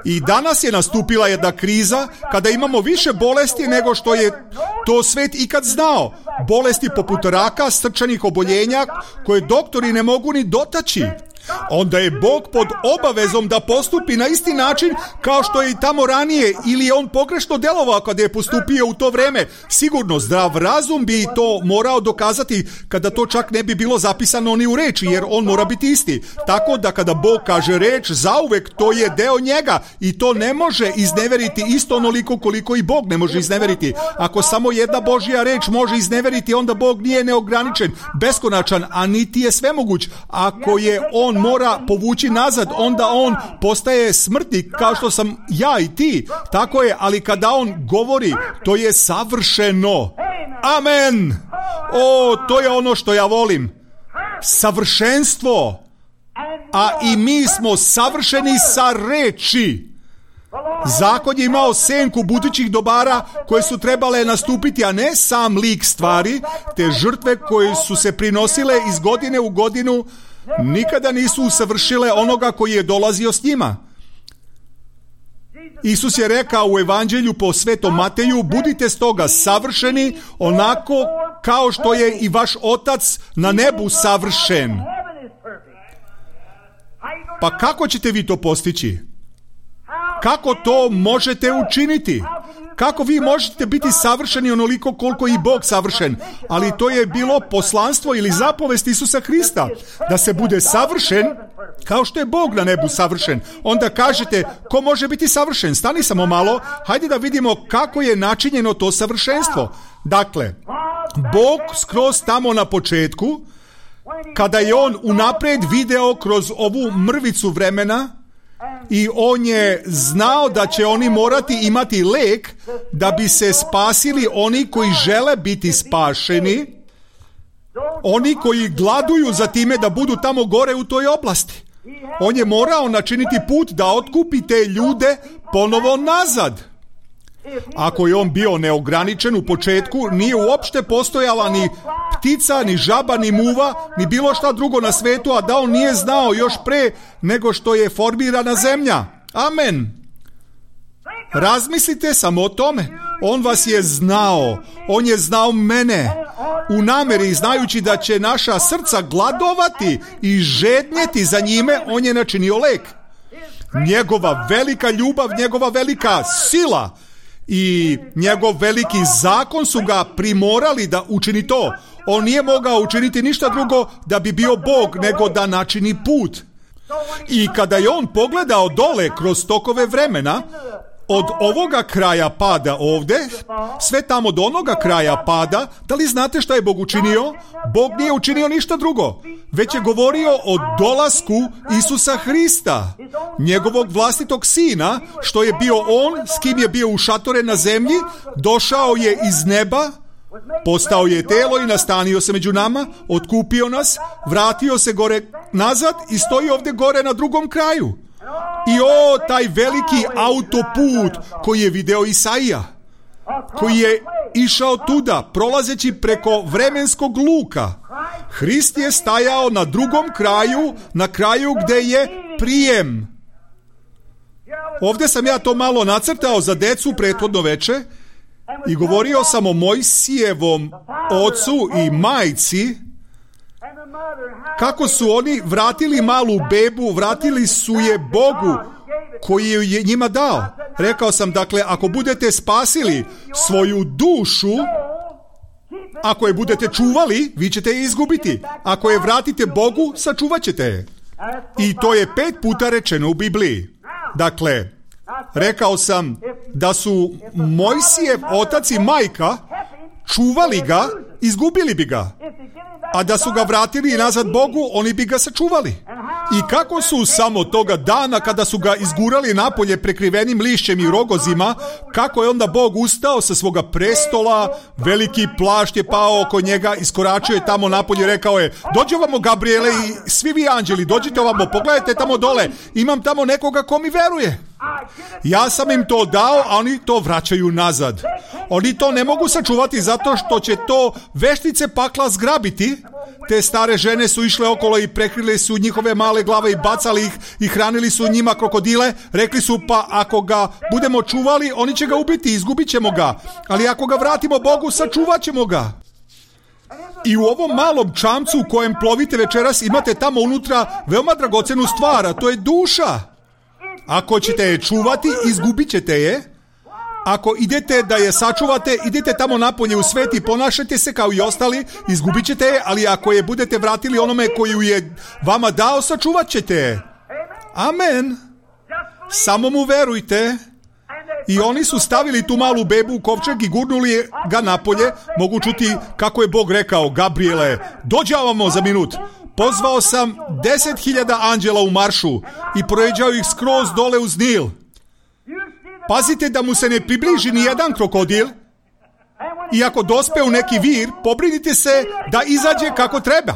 I danas je nastupila jedna kriza kada imamo više bolesti nego što je to svet ikad znao. Bolesti poput raka, srčanih oboljenja koje doktori ne mogu ni dotaći. Onda je Bog pod obavezom da postupi na isti način kao što je i tamo ranije, ili je on pogrešno delovao kada je postupio u to vreme. Sigurno zdrav razum bi to morao dokazati kada to čak ne bi bilo zapisano ni u reči, jer on mora biti isti. Tako da kada Bog kaže reč, zauvek to je deo njega i to ne može izneveriti isto onoliko koliko i Bog ne može izneveriti. Ako samo jedna Božja reč može izneveriti, onda Bog nije neograničen, beskonačan, a niti je svemoguć. Ako je on mora povući nazad, onda on postaje smrtnik kao što sam ja i ti. Tako je, ali kada on govori, to je savršeno. Amen. O, to je ono što ja volim. Savršenstvo. A i mi smo savršeni sa reči. Zakon je imao senku budućih dobara koje su trebale nastupiti, a ne sam lik stvari. Te žrtve koje su se prinosile iz godine u godinu nikada nisu usavršile onoga koji je dolazio s njima. Isus je rekao u Evanđelju po Svetom Mateju: budite stoga savršeni onako kao što je i vaš Otac na nebu savršen. Pa kako ćete vi to postići? Kako to možete učiniti? Kako vi možete biti savršeni onoliko koliko i Bog savršen? Ali to je bilo poslanstvo ili zapovest Isusa Hrista, da se bude savršen kao što je Bog na nebu savršen. Onda kažete, ko može biti savršen? Stani samo malo, hajde da vidimo kako je načinjeno to savršenstvo. Dakle, Bog skroz tamo na početku, kada je on unaprijed video kroz ovu mrvicu vremena, i on je znao da će oni morati imati lek da bi se spasili oni koji žele biti spašeni, oni koji gladuju za time da budu tamo gore u toj oblasti. On je morao načiniti put da otkupi te ljude ponovo nazad. Ako je on bio neograničen u početku, nije uopšte postojala ni ptica, ni žaba, ni muva, ni bilo šta drugo na svetu, a da on nije znao još pre nego što je formirana zemlja. Amen. Razmislite samo o tome. On vas je znao. On je znao mene. U nameri, znajući da će naša srca gladovati i žednjeti za njime, on je načinio lek. Njegova velika ljubav, njegova velika sila i njegov veliki zakon su ga primorali da učini to. On nije mogao učiniti ništa drugo da bi bio Bog, nego da načini put. I kada je on pogledao dole kroz tokove vremena, od ovoga kraja pada ovde, sve tamo do onoga kraja pada, da li znate šta je Bog učinio? Bog nije učinio ništa drugo, već je govorio o dolasku Isusa Hrista, njegovog vlastitog sina, što je bio on, s kim je bio ušatoren na zemlji, došao je iz neba, postao je telo i nastanio se među nama, otkupio nas, vratio se gore nazad i stoji ovde gore na drugom kraju. I taj veliki autoput koji je video Isaija, koji je išao tuda, prolazeći preko vremenskog luka. Hrist je stajao na drugom kraju, na kraju gde je prijem. Ovdje sam ja to malo nacrtao za decu prethodno veče i govorio sam o Mojsijevom ocu i majci, kako su oni vratili malu bebu, vratili su je Bogu koji je njima dao. Rekao sam, dakle, ako budete spasili svoju dušu, ako je budete čuvali, vi ćete je izgubiti. Ako je vratite Bogu, sačuvat ćete je. I to je 5 puta rečeno u Bibliji. Dakle, rekao sam da su Mojsijev otac i majka čuvali ga, izgubili bi ga. A da su ga vratili nazad Bogu, oni bi ga sačuvali. I kako su samo toga dana, kada su ga izgurali napolje prekrivenim lišćem i rogozima, kako je onda Bog ustao sa svoga prestola, veliki plašt je pao oko njega, iskoračio je tamo napolje, rekao je: dođe ovamo, Gabriele, i svi vi anđeli, dođite ovamo, pogledajte tamo dole, imam tamo nekoga ko mi veruje. Ja sam im to dao, a oni to vraćaju nazad. Oni to ne mogu sačuvati zato što će to veštice pakla zgrabiti. Te stare žene su išle okolo i prekrile su njihove male glave i bacali ih i hranili su njima krokodile. Rekli su, pa ako ga budemo čuvali, oni će ga ubiti, izgubit ćemo ga. Ali ako ga vratimo Bogu, sačuvat ćemo ga. I u ovom malom čamcu u kojem plovite večeras imate tamo unutra veoma dragocenu stvar, a to je duša. Ako ćete je čuvati, izgubit ćete je. Ako idete da je sačuvate, idete tamo napolje u svet i ponašajte se kao i ostali, izgubit ćete je, ali ako je budete vratili onome koju je vama dao, sačuvat ćete je. Amen. Samo mu verujte. I oni su stavili tu malu bebu u kovčeg i gurnuli ga napolje. Mogu čuti kako je Bog rekao: Gabriele, dođi ovamo za minut. Pozvao sam 10.000 anđela u maršu i projeđao ih skroz dole uz Nil. Pazite da mu se ne približi ni jedan krokodil. I ako dospe u neki vir, pobrinite se da izađe kako treba.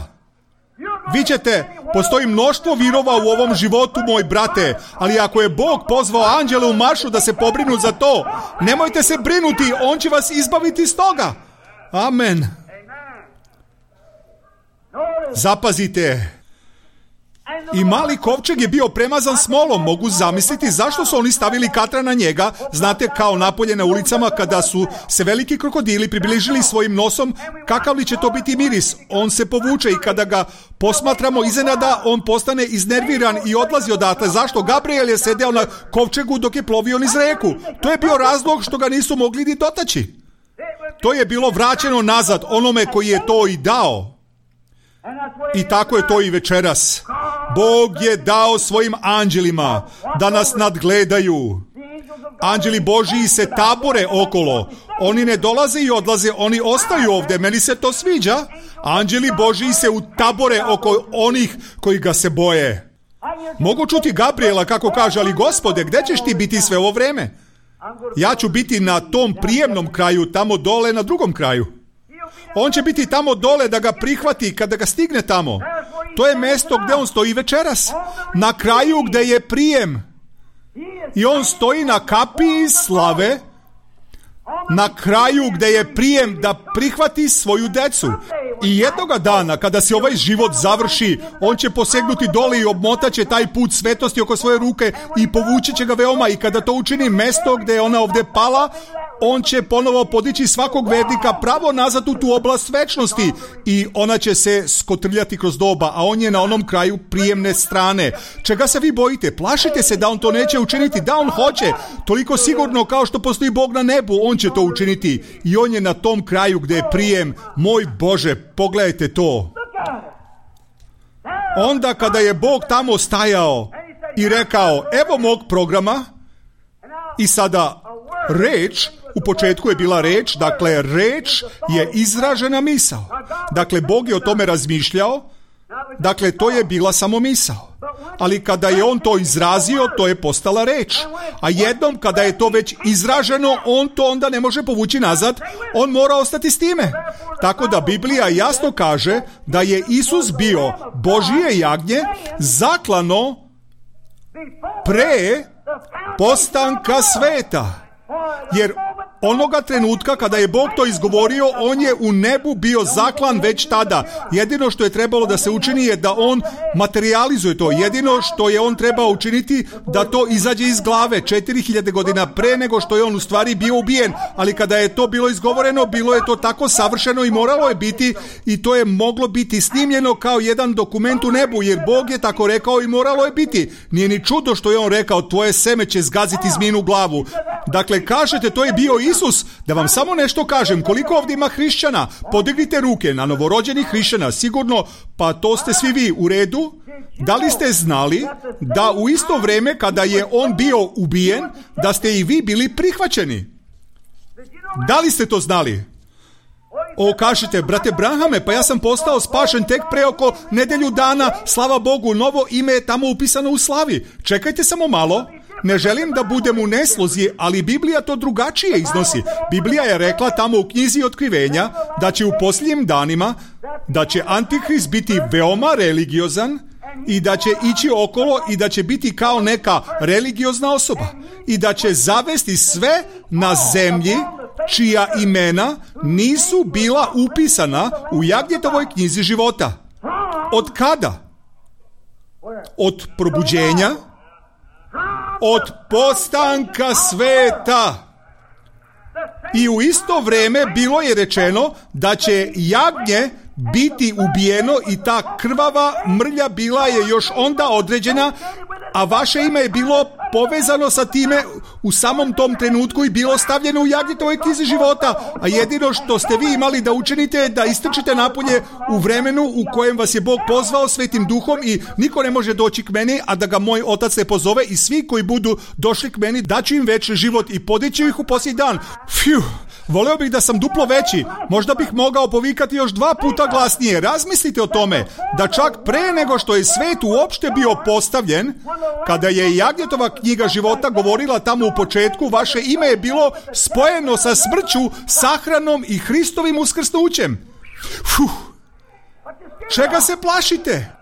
Vi ćete Postoji mnoštvo virova u ovom životu, moj brate, ali ako je Bog pozvao anđele u maršu da se pobrinu za to, nemojte se brinuti, on će vas izbaviti iz toga. Amen. Zapazite. I mali kovčeg je bio premazan smolom. Mogu zamisliti zašto su oni stavili katra na njega. Znate, kao napolje na ulicama kada su se veliki krokodili približili svojim nosom, kakav li će to biti miris? On se povuče i kada ga posmatramo iznenada, on postane iznerviran i odlazi odatle. Zašto? Gabriel je sedeo na kovčegu dok je plovio niz reku. To je bio razlog što ga nisu mogli ni dotaći. To je bilo vraćeno nazad onome koji je to i dao. I tako je to i večeras. Bog je dao svojim anđelima da nas nadgledaju. Anđeli Božiji se tabore okolo. Oni ne dolaze i odlaze, oni ostaju ovdje. Meni se to sviđa. Anđeli Božiji se utabore oko onih koji ga se boje. Mogu čuti Gabriela kako kaže, ali Gospode, gdje ćeš ti biti sve ovo vreme? Ja ću biti na tom prijemnom kraju, tamo dole na drugom kraju. On će biti tamo dole da ga prihvati kada ga stigne tamo. To je mjesto gdje on stoji večeras. Na kraju gdje je prijem. I on stoji na kapiji slave. Na kraju gdje je prijem da prihvati svoju decu. I jednoga dana kada se ovaj život završi, on će posegnuti dole i obmotaće taj put svetosti oko svoje ruke i povući će ga veoma. I kada to učini mjesto gdje je ona ovdje pala, on će ponovo podići svakog vernika pravo nazad u tu oblast večnosti i ona će se skotrljati kroz doba, a on je na onom kraju prijemne strane. Čega se vi bojite? Plašite se da on to neće učiniti, da on hoće. Toliko sigurno kao što postoji Bog na nebu, on će to učiniti. I on je na tom kraju gdje je prijem. Moj Bože, pogledajte to. Onda kada je Bog tamo stajao i rekao, evo mog programa, i sada reč, u početku je bila reč, dakle reč je izražena misao. Dakle, Bog je o tome razmišljao, dakle to je bila samo misao. Ali kada je on to izrazio, to je postala reč. A jednom kada je to već izraženo, on to onda ne može povući nazad, on mora ostati s time. Tako da Biblija jasno kaže da je Isus bio Božije jagnje zaklano pre postanka sveta. Jer onoga trenutka kada je Bog to izgovorio, on je u nebu bio zaklan već tada. Jedino što je trebalo da se učini je da on materializuje to. Jedino što je on trebao učiniti da to izađe iz glave 4000 godina pre nego što je on u stvari bio ubijen. Ali kada je to bilo izgovoreno, bilo je to tako savršeno i moralo je biti, i to je moglo biti snimljeno kao jedan dokument u nebu, jer Bog je tako rekao i moralo je biti. Nije ni čudo što je on rekao, tvoje seme će zgaziti zminu glavu. Dakle, kažete, to je bio Isus. Da vam samo nešto kažem, koliko ovdje ima hrišćana? Podignite ruke na novorođenih hrišćana, sigurno, pa to ste svi vi u redu. Da li ste znali da u isto vrijeme kada je on bio ubijen, da ste i vi bili prihvaćeni? Da li ste to znali? Kažete, brate Branhame, pa ja sam postao spašen tek pre oko nedelju dana, slava Bogu, novo ime je tamo upisano u slavi. Čekajte samo malo. Ne želim da budem u neslozi, ali Biblija to drugačije iznosi. Biblija je rekla tamo u knjizi Otkrivenja da će u posljednjim danima, da će Antihrist biti veoma religiozan i da će ići okolo i da će biti kao neka religiozna osoba i da će zavesti sve na zemlji čija imena nisu bila upisana u Jagnjetovoj knjizi života. Od kada? Od probuđenja? Od postanka sveta. I u isto vrijeme bilo je rečeno da će jagnje biti ubijeno i ta krvava mrlja bila je još onda određena, a vaše ime je bilo povezano sa time u samom tom trenutku i bilo stavljeno u Jagnjetovoj knjizi života. A jedino što ste vi imali da učinite je da istrčite napolje u vremenu u kojem vas je Bog pozvao Svetim Duhom i niko ne može doći k meni, a da ga moj Otac ne pozove, i svi koji budu došli k meni daću im večni život i podići ih u posljednji dan. Fiu! Voleo bih da sam duplo veći, možda bih mogao povikati još 2 puta glasnije. Razmislite o tome, da čak pre nego što je svet uopšte bio postavljen, kada je Jagnjetova knjiga života govorila tamo u početku, vaše ime je bilo spojeno sa smrću, sahranom i Hristovim uskrsnućem. Čega se plašite?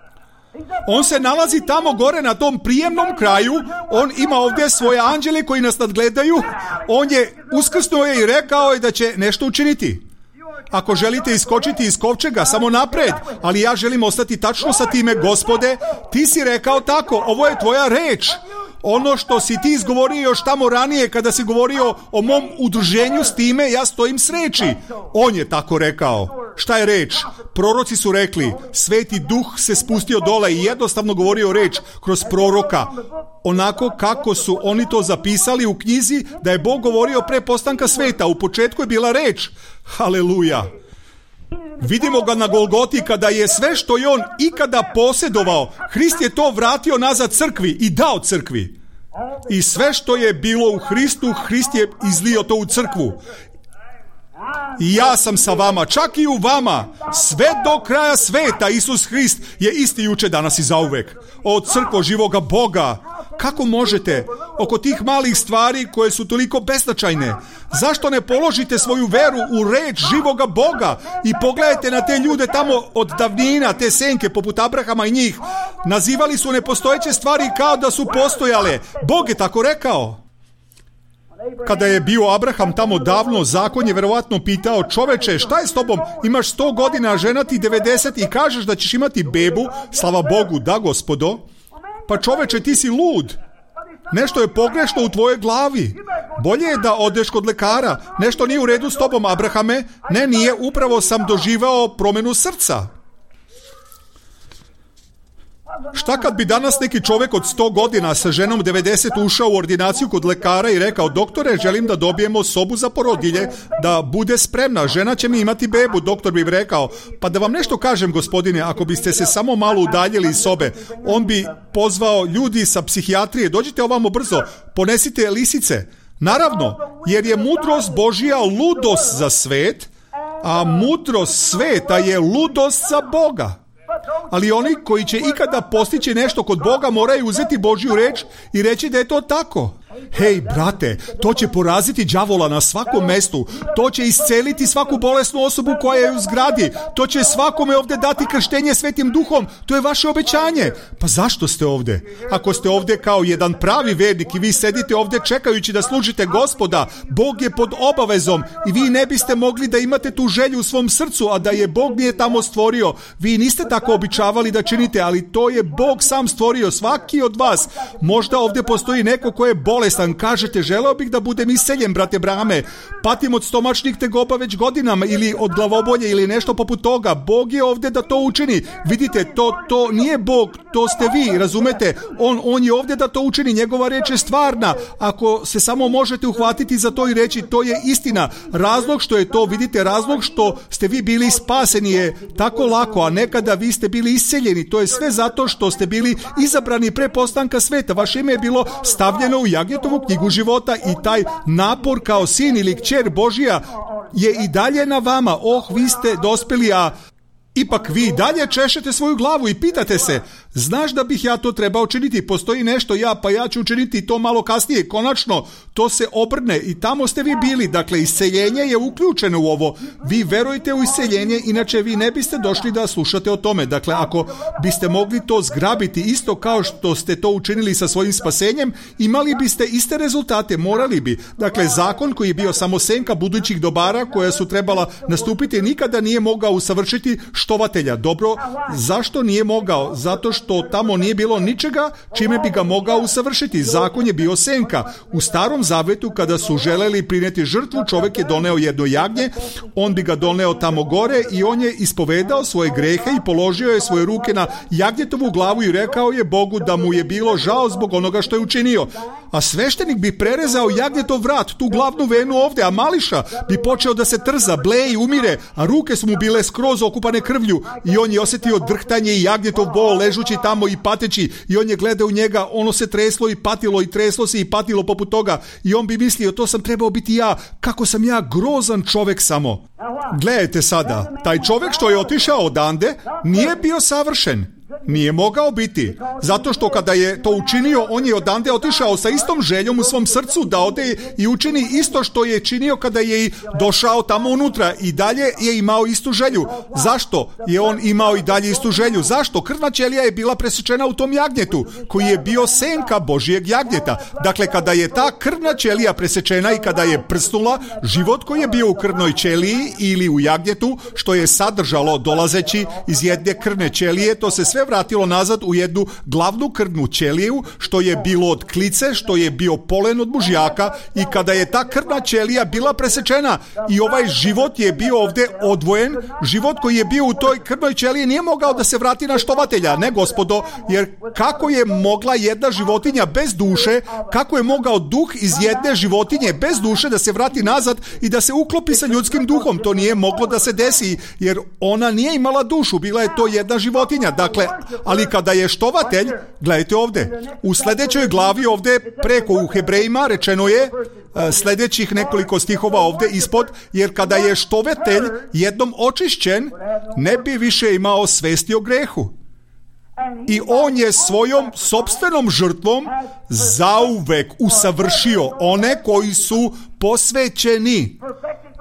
On se nalazi tamo gore na tom prijemnom kraju, on ima ovdje svoje anđele koji nas nadgledaju, on je uskrsnuo je i rekao je da će nešto učiniti. Ako želite iskočiti iz kovčega, samo napred, ali ja želim ostati tačno sa time, Gospode, ti si rekao tako, ovo je tvoja reč. Ono što si ti izgovorio još tamo ranije kada si govorio o mom udruženju s time, ja stojim s reči. On je tako rekao. Šta je reč? Proroci su rekli, Sveti Duh se spustio dole i jednostavno govorio reč kroz proroka. Onako kako su oni to zapisali u knjizi da je Bog govorio pre postanka sveta. U početku je bila reč. Haleluja. Vidimo ga na Golgoti kada je sve što je on ikada posjedovao, Hrist je to vratio nazad crkvi i dao crkvi. I sve što je bilo u Hristu, Hrist je izlio to u crkvu. I ja sam sa vama, čak i u vama, sve do kraja sveta. Isus Hrist je isti juče, danas i zauvek. O crkvo živoga Boga, kako možete oko tih malih stvari koje su toliko beznačajne? Zašto ne položite svoju veru u reč živoga Boga i pogledajte na te ljude tamo od davnina, te senke poput Abrahama i njih. Nazivali su nepostojeće stvari kao da su postojale. Bog je tako rekao. Kada je bio Abraham tamo davno, zakon je verovatno pitao, čoveče, šta je s tobom? Imaš 100 godina, žena ti 90 i kažeš da ćeš imati bebu? Slava Bogu, da, Gospodo. Pa čoveče, ti si lud. Nešto je pogrešno u tvojoj glavi. Bolje je da odeš kod lekara. Nešto nije u redu s tobom, Abrahame. Ne, nije, upravo sam doživao promjenu srca. Šta kad bi danas neki čovjek od 100 godina sa ženom 90 ušao u ordinaciju kod lekara i rekao, doktore, želim da dobijemo sobu za porodilje, da bude spremna, žena će mi imati bebu. Doktor bi rekao, pa da vam nešto kažem, gospodine, ako biste se samo malo udaljili iz sobe, on bi pozvao ljudi sa psihijatrije, dođite ovamo brzo, ponesite lisice. Naravno, jer je mudrost Božja ludost za svet, a mudrost sveta je ludost za Boga. Ali oni koji će ikada postići nešto kod Boga moraju uzeti Božju reč i reći da je to tako. Hej, brate, to će poraziti đavola na svakom mestu. To će isceliti svaku bolesnu osobu koja je u zgradi. To će svakome ovdje dati krštenje Svetim Duhom. To je vaše obećanje. Pa zašto ste ovdje? Ako ste ovdje kao jedan pravi vernik i vi sedite ovdje čekajući da služite Gospoda, Bog je pod obavezom i vi ne biste mogli da imate tu želju u svom srcu, a da je Bog nije tamo stvorio. Vi niste tako običavali da činite, ali to je Bog sam stvorio, svaki od vas. Možda ovdje postoji neko ko je bolestan, kažete, želeo bih da budem isceljen, brate Brame, patim od stomačnih tegoba već godinama ili od glavobolje ili nešto poput toga. Bog je ovdje da to učini. Vidite, to nije Bog, to ste vi, razumete? On je ovdje da to učini, njegova reč je stvarna. Ako se samo možete uhvatiti za to i reći, to je istina. Razlog što je to, vidite, razlog što ste vi bili spaseni je tako lako, a nekada vi ste bili isceljeni. To je sve zato što ste bili izabrani pre postanka sveta. Vaše ime je bilo stavljeno u Jagnjetovu knjigu života i taj napor kao sin ili kćer Božija je i dalje na vama. Vi ste dospeli, a ipak vi dalje češete svoju glavu i pitate se, znaš da bih ja to trebao činiti, postoji nešto ja ću učiniti to malo kasnije. Konačno, to se obrne i tamo ste vi bili. Dakle, isceljenje je uključeno u ovo. Vi verujete u isceljenje, inače vi ne biste došli da slušate o tome. Dakle, ako biste mogli to zgrabiti isto kao što ste to učinili sa svojim spasenjem, imali biste iste rezultate, morali bi. Dakle, zakon koji je bio samo senka budućih dobara koja su trebala nastupiti nikada nije mogao usavršiti štovatelja. Dobro, zašto nije mogao? Zato što tamo nije bilo ničega čime bi ga mogao usavršiti. Zakon je bio senka. U Starom Zavetu kada su želeli prineti žrtvu, čovjek je doneo jedno jagnje, on bi ga doneo tamo gore i on je ispovedao svoje grehe i položio je svoje ruke na jagnjetovu glavu i rekao je Bogu da mu je bilo žao zbog onoga što je učinio. A sveštenik bi prerezao jagnjetov vrat, tu glavnu venu ovdje, a mališa bi počeo da se trza, bleji, umire, a ruke su mu bile skroz okupane krvlju i on je osjetio drhtanje i jagnjetov bol ležući tamo i pateći i on je gledao u njega, ono se treslo i patilo i treslo se i patilo poput toga i on bi mislio, to sam trebao biti ja, kako sam ja grozan čovjek samo. Gledajte sada, taj čovjek što je otišao odande nije bio savršen. Nije mogao biti. Zato što kada je to učinio, on je odande otišao sa istom željom u svom srcu da ode i učini isto što je činio kada je došao tamo unutra. I dalje je imao istu želju. Zašto je on imao i dalje istu želju? Zašto? Krvna ćelija je bila presečena u tom jagnjetu, koji je bio senka Božijeg jagnjeta. Dakle, kada je ta krvna ćelija presečena i kada je prsnula, život koji je bio u krvnoj ćeliji ili u jagnjetu, što je sadržalo dolazeći iz jedne krvne ćelije, to se sve vratilo nazad u jednu glavnu krvnu ćeliju, što je bilo od klice, što je bio polen od mužjaka, i kada je ta krvna ćelija bila presečena i ovaj život je bio ovdje odvojen, život koji je bio u toj krvnoj ćeliji nije mogao da se vrati na štovatelja, ne gospodo, jer kako je mogla jedna životinja bez duše, kako je mogao duh iz jedne životinje bez duše da se vrati nazad i da se uklopi sa ljudskim duhom? To nije moglo da se desi, jer ona nije imala dušu, bila je to jedna životinja. Dakle, ali kada je štovatelj, gledajte ovdje, u sljedećoj glavi ovdje preko u Hebrejima rečeno je, sljedećih nekoliko stihova ovdje ispod, jer kada je štovatelj jednom očišćen, ne bi više imao svesti o grehu. I on je svojom sopstvenom žrtvom zauvek usavršio one koji su posvećeni.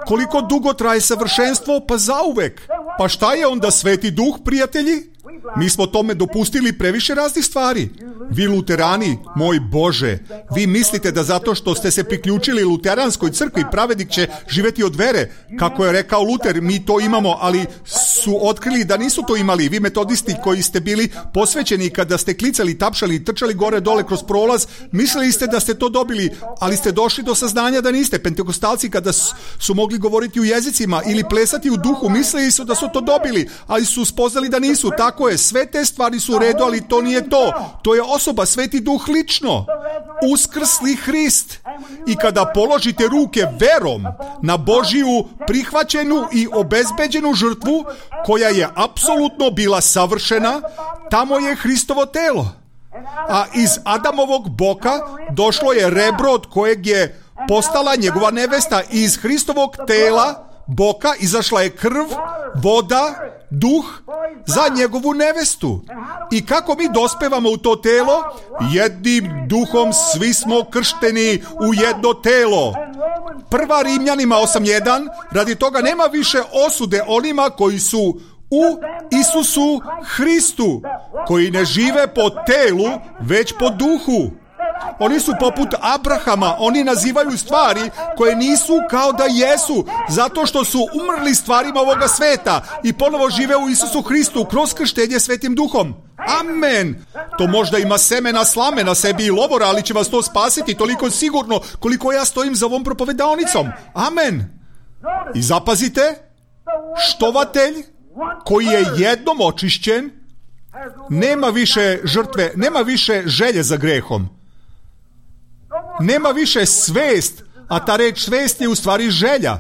Koliko dugo traje savršenstvo? Pa zauvek. Pa šta je onda Sveti Duh, prijatelji? Mi smo tome dopustili previše raznih stvari. Vi luterani, moj Bože, vi mislite da zato što ste se priključili luteranskoj crkvi, pravednik će živjeti od vere. Kako je rekao Luter, mi to imamo, ali su otkrili da nisu to imali. Vi metodisti koji ste bili posvećeni, kada ste klicali, tapšali, trčali gore dole kroz prolaz, mislili ste da ste to dobili, ali ste došli do saznanja da niste. Pentekostalci kada su mogli govoriti u jezicima ili plesati u duhu, mislili su da su to dobili, ali su spoznali da nisu. Tako je, sve te stvari su u redu, ali to nije to. To je osoba, Sveti Duh lično, uskrsli Hrist. I kada položite ruke verom na Božiju prihvaćenu i obezbeđenu žrtvu, koja je apsolutno bila savršena, tamo je Hristovo telo. A iz Adamovog boka došlo je rebro od kojeg je postala njegova nevesta. I iz Hristovog tela boka izašla je krv, voda, duh za njegovu nevestu. I kako mi dospevamo u to telo? Jednim duhom svi smo kršteni u jedno telo. Prva Rimljanima 8.1, radi toga nema više osude onima koji su u Isusu Hristu, koji ne žive po telu, već po duhu. Oni su poput Abrahama, oni nazivaju stvari koje nisu kao da jesu, zato što su umrli stvarima ovoga sveta i ponovo žive u Isusu Hristu kroz krštenje Svetim Duhom. Amen. To možda ima semena slame na sebi i lovora, ali će vas to spasiti toliko sigurno koliko ja stojim za ovom propovedaonicom. Amen. I zapazite, štovatelj koji je jednom očišćen, nema više žrtve, nema više želje za grehom. Nema više svest, a ta reč svest je u stvari želja.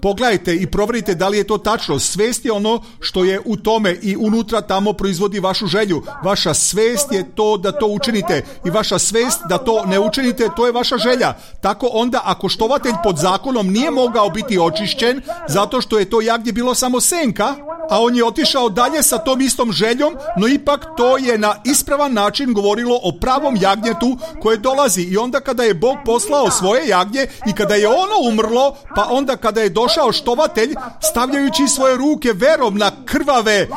Pogledajte i provjerite da li je to tačno. Svest je ono što je u tome i unutra tamo proizvodi vašu želju. Vaša svest je to da to učinite i vaša svest da to ne učinite, to je vaša želja. Tako onda ako štovatelj pod zakonom nije mogao biti očišćen zato što je to jagnje bilo samo senka, a on je otišao dalje sa tom istom željom, no ipak to je na ispravan način govorilo o pravom jagnjetu koje dolazi. I onda kada je Bog poslao svoje jagnje i kada je ono umrlo, pa onda kada je došao štovatelj stavljajući svoje ruke verom na krvave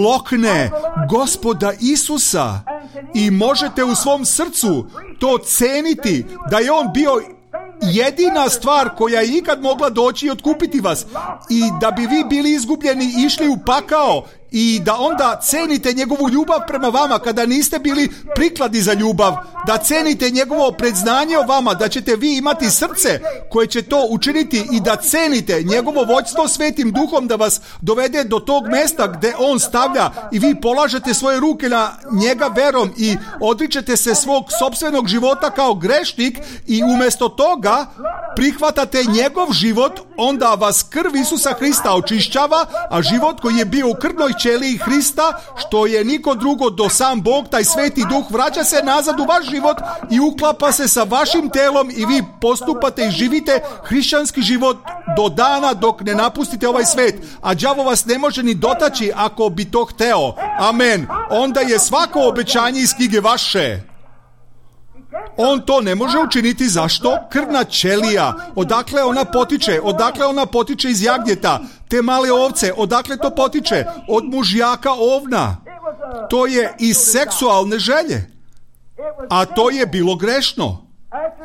lokne Gospoda Isusa, i možete u svom srcu to ceniti da je on bio jedina stvar koja je ikad mogla doći i otkupiti vas, i da bi vi bili izgubljeni i išli u pakao, i da onda cenite njegovu ljubav prema vama kada niste bili prikladni za ljubav, da cenite njegovo predznanje o vama, da ćete vi imati srce koje će to učiniti i da cenite njegovo vođstvo Svetim Duhom da vas dovede do tog mesta gdje on stavlja i vi polažete svoje ruke na njega verom i odričete se svog sopstvenog života kao grešnik i umjesto toga prihvatate njegov život, onda vas krv Isusa Hrista očišćava, a život koji je bio u krvnoj ćeliji Hrista, što je niko drugo do sam Bog, taj Sveti Duh, vraća se nazad u vaš život i uklapa se sa vašim telom i vi postupate i živite hrišćanski život do dana dok ne napustite ovaj svet, a đavo vas ne može ni dotaći ako bi to hteo. Amen. Onda je svako obećanje iz knjige vaše. On to ne može učiniti. Zašto? Krvna ćelija. Odakle ona potiče? Odakle ona potiče iz jagnjeta? Te male ovce. Odakle to potiče? Od mužjaka ovna. To je iz seksualne želje. A to je bilo grešno.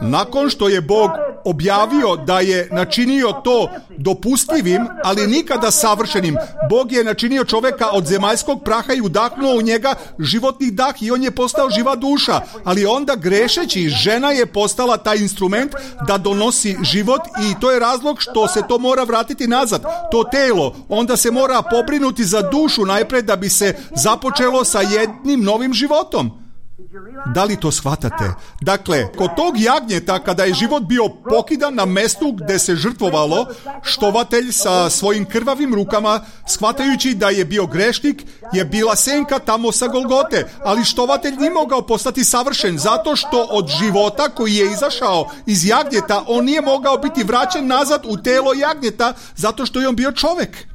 Nakon što je Bog objavio da je načinio to dopustivim, ali nikada savršenim, Bog je načinio čoveka od zemaljskog praha i udahnuo u njega životni dah i on je postao živa duša. Ali onda grešeći, žena je postala taj instrument da donosi život i to je razlog što se to mora vratiti nazad. To telo, onda se mora pobrinuti za dušu najprej da bi se započelo sa jednim novim životom. Da li to shvatate? Dakle, kod tog jagnjeta, kada je život bio pokidan na mestu gde se žrtvovalo, štovatelj sa svojim krvavim rukama, shvatajući da je bio grešnik, je bila senka tamo sa Golgote, ali štovatelj nije mogao postati savršen, zato što od života koji je izašao iz jagnjeta, on nije mogao biti vraćen nazad u telo jagnjeta, zato što je on bio čovek.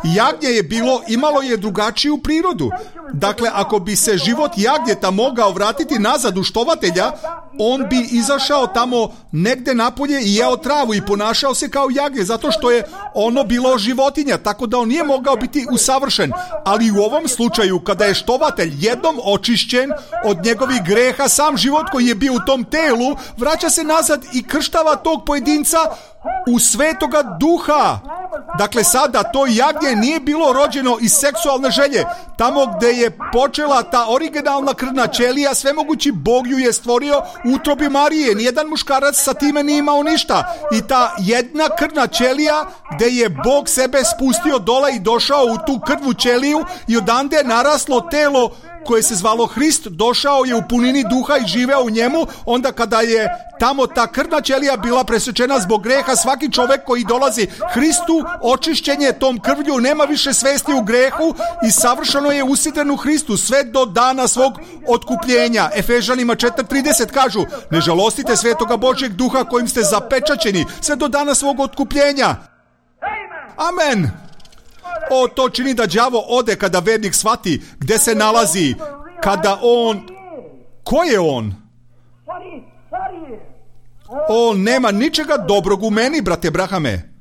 Jagnje je imalo je drugačiju prirodu. Dakle, ako bi se život jagnjeta mogao vratiti nazad u štovatelja, on bi izašao tamo negde napolje i jeo travu i ponašao se kao jagnje, zato što je ono bilo životinja, tako da on nije mogao biti usavršen. Ali u ovom slučaju, kada je štovatelj jednom očišćen od njegovih greha, sam život koji je bio u tom telu, vraća se nazad i krštava tog pojedinca u Svetoga Duha. Dakle, sada to jagnje nije bilo rođeno iz seksualne želje. Tamo gde je počela ta originalna krvna ćelija, svemogući Bog ju je stvorio u utrobi Marije. Nijedan muškarac sa time nije imao ništa. I ta jedna krvna ćelija gde je Bog sebe spustio dole i došao u tu krvnu ćeliju i odande je naraslo telo koje se zvalo Hrist, došao je u punini duha i živeo u njemu. Onda kada je tamo ta krvna ćelija bila presečena zbog greha, svaki čovek koji dolazi Hristu, očišćen je tom krvlju, nema više svesti u grehu i savršeno je usidren u Hristu sve do dana svog otkupljenja. Efežanima 4:30 kažu: ne žalostite Svetoga Božjeg Duha kojim ste zapečaćeni sve do dana svog otkupljenja. Amen. O, to čini da đavo ode kada vernik shvati gde se nalazi, kada on... Ko je on? On nema ničega dobrog u meni, brate Brahame.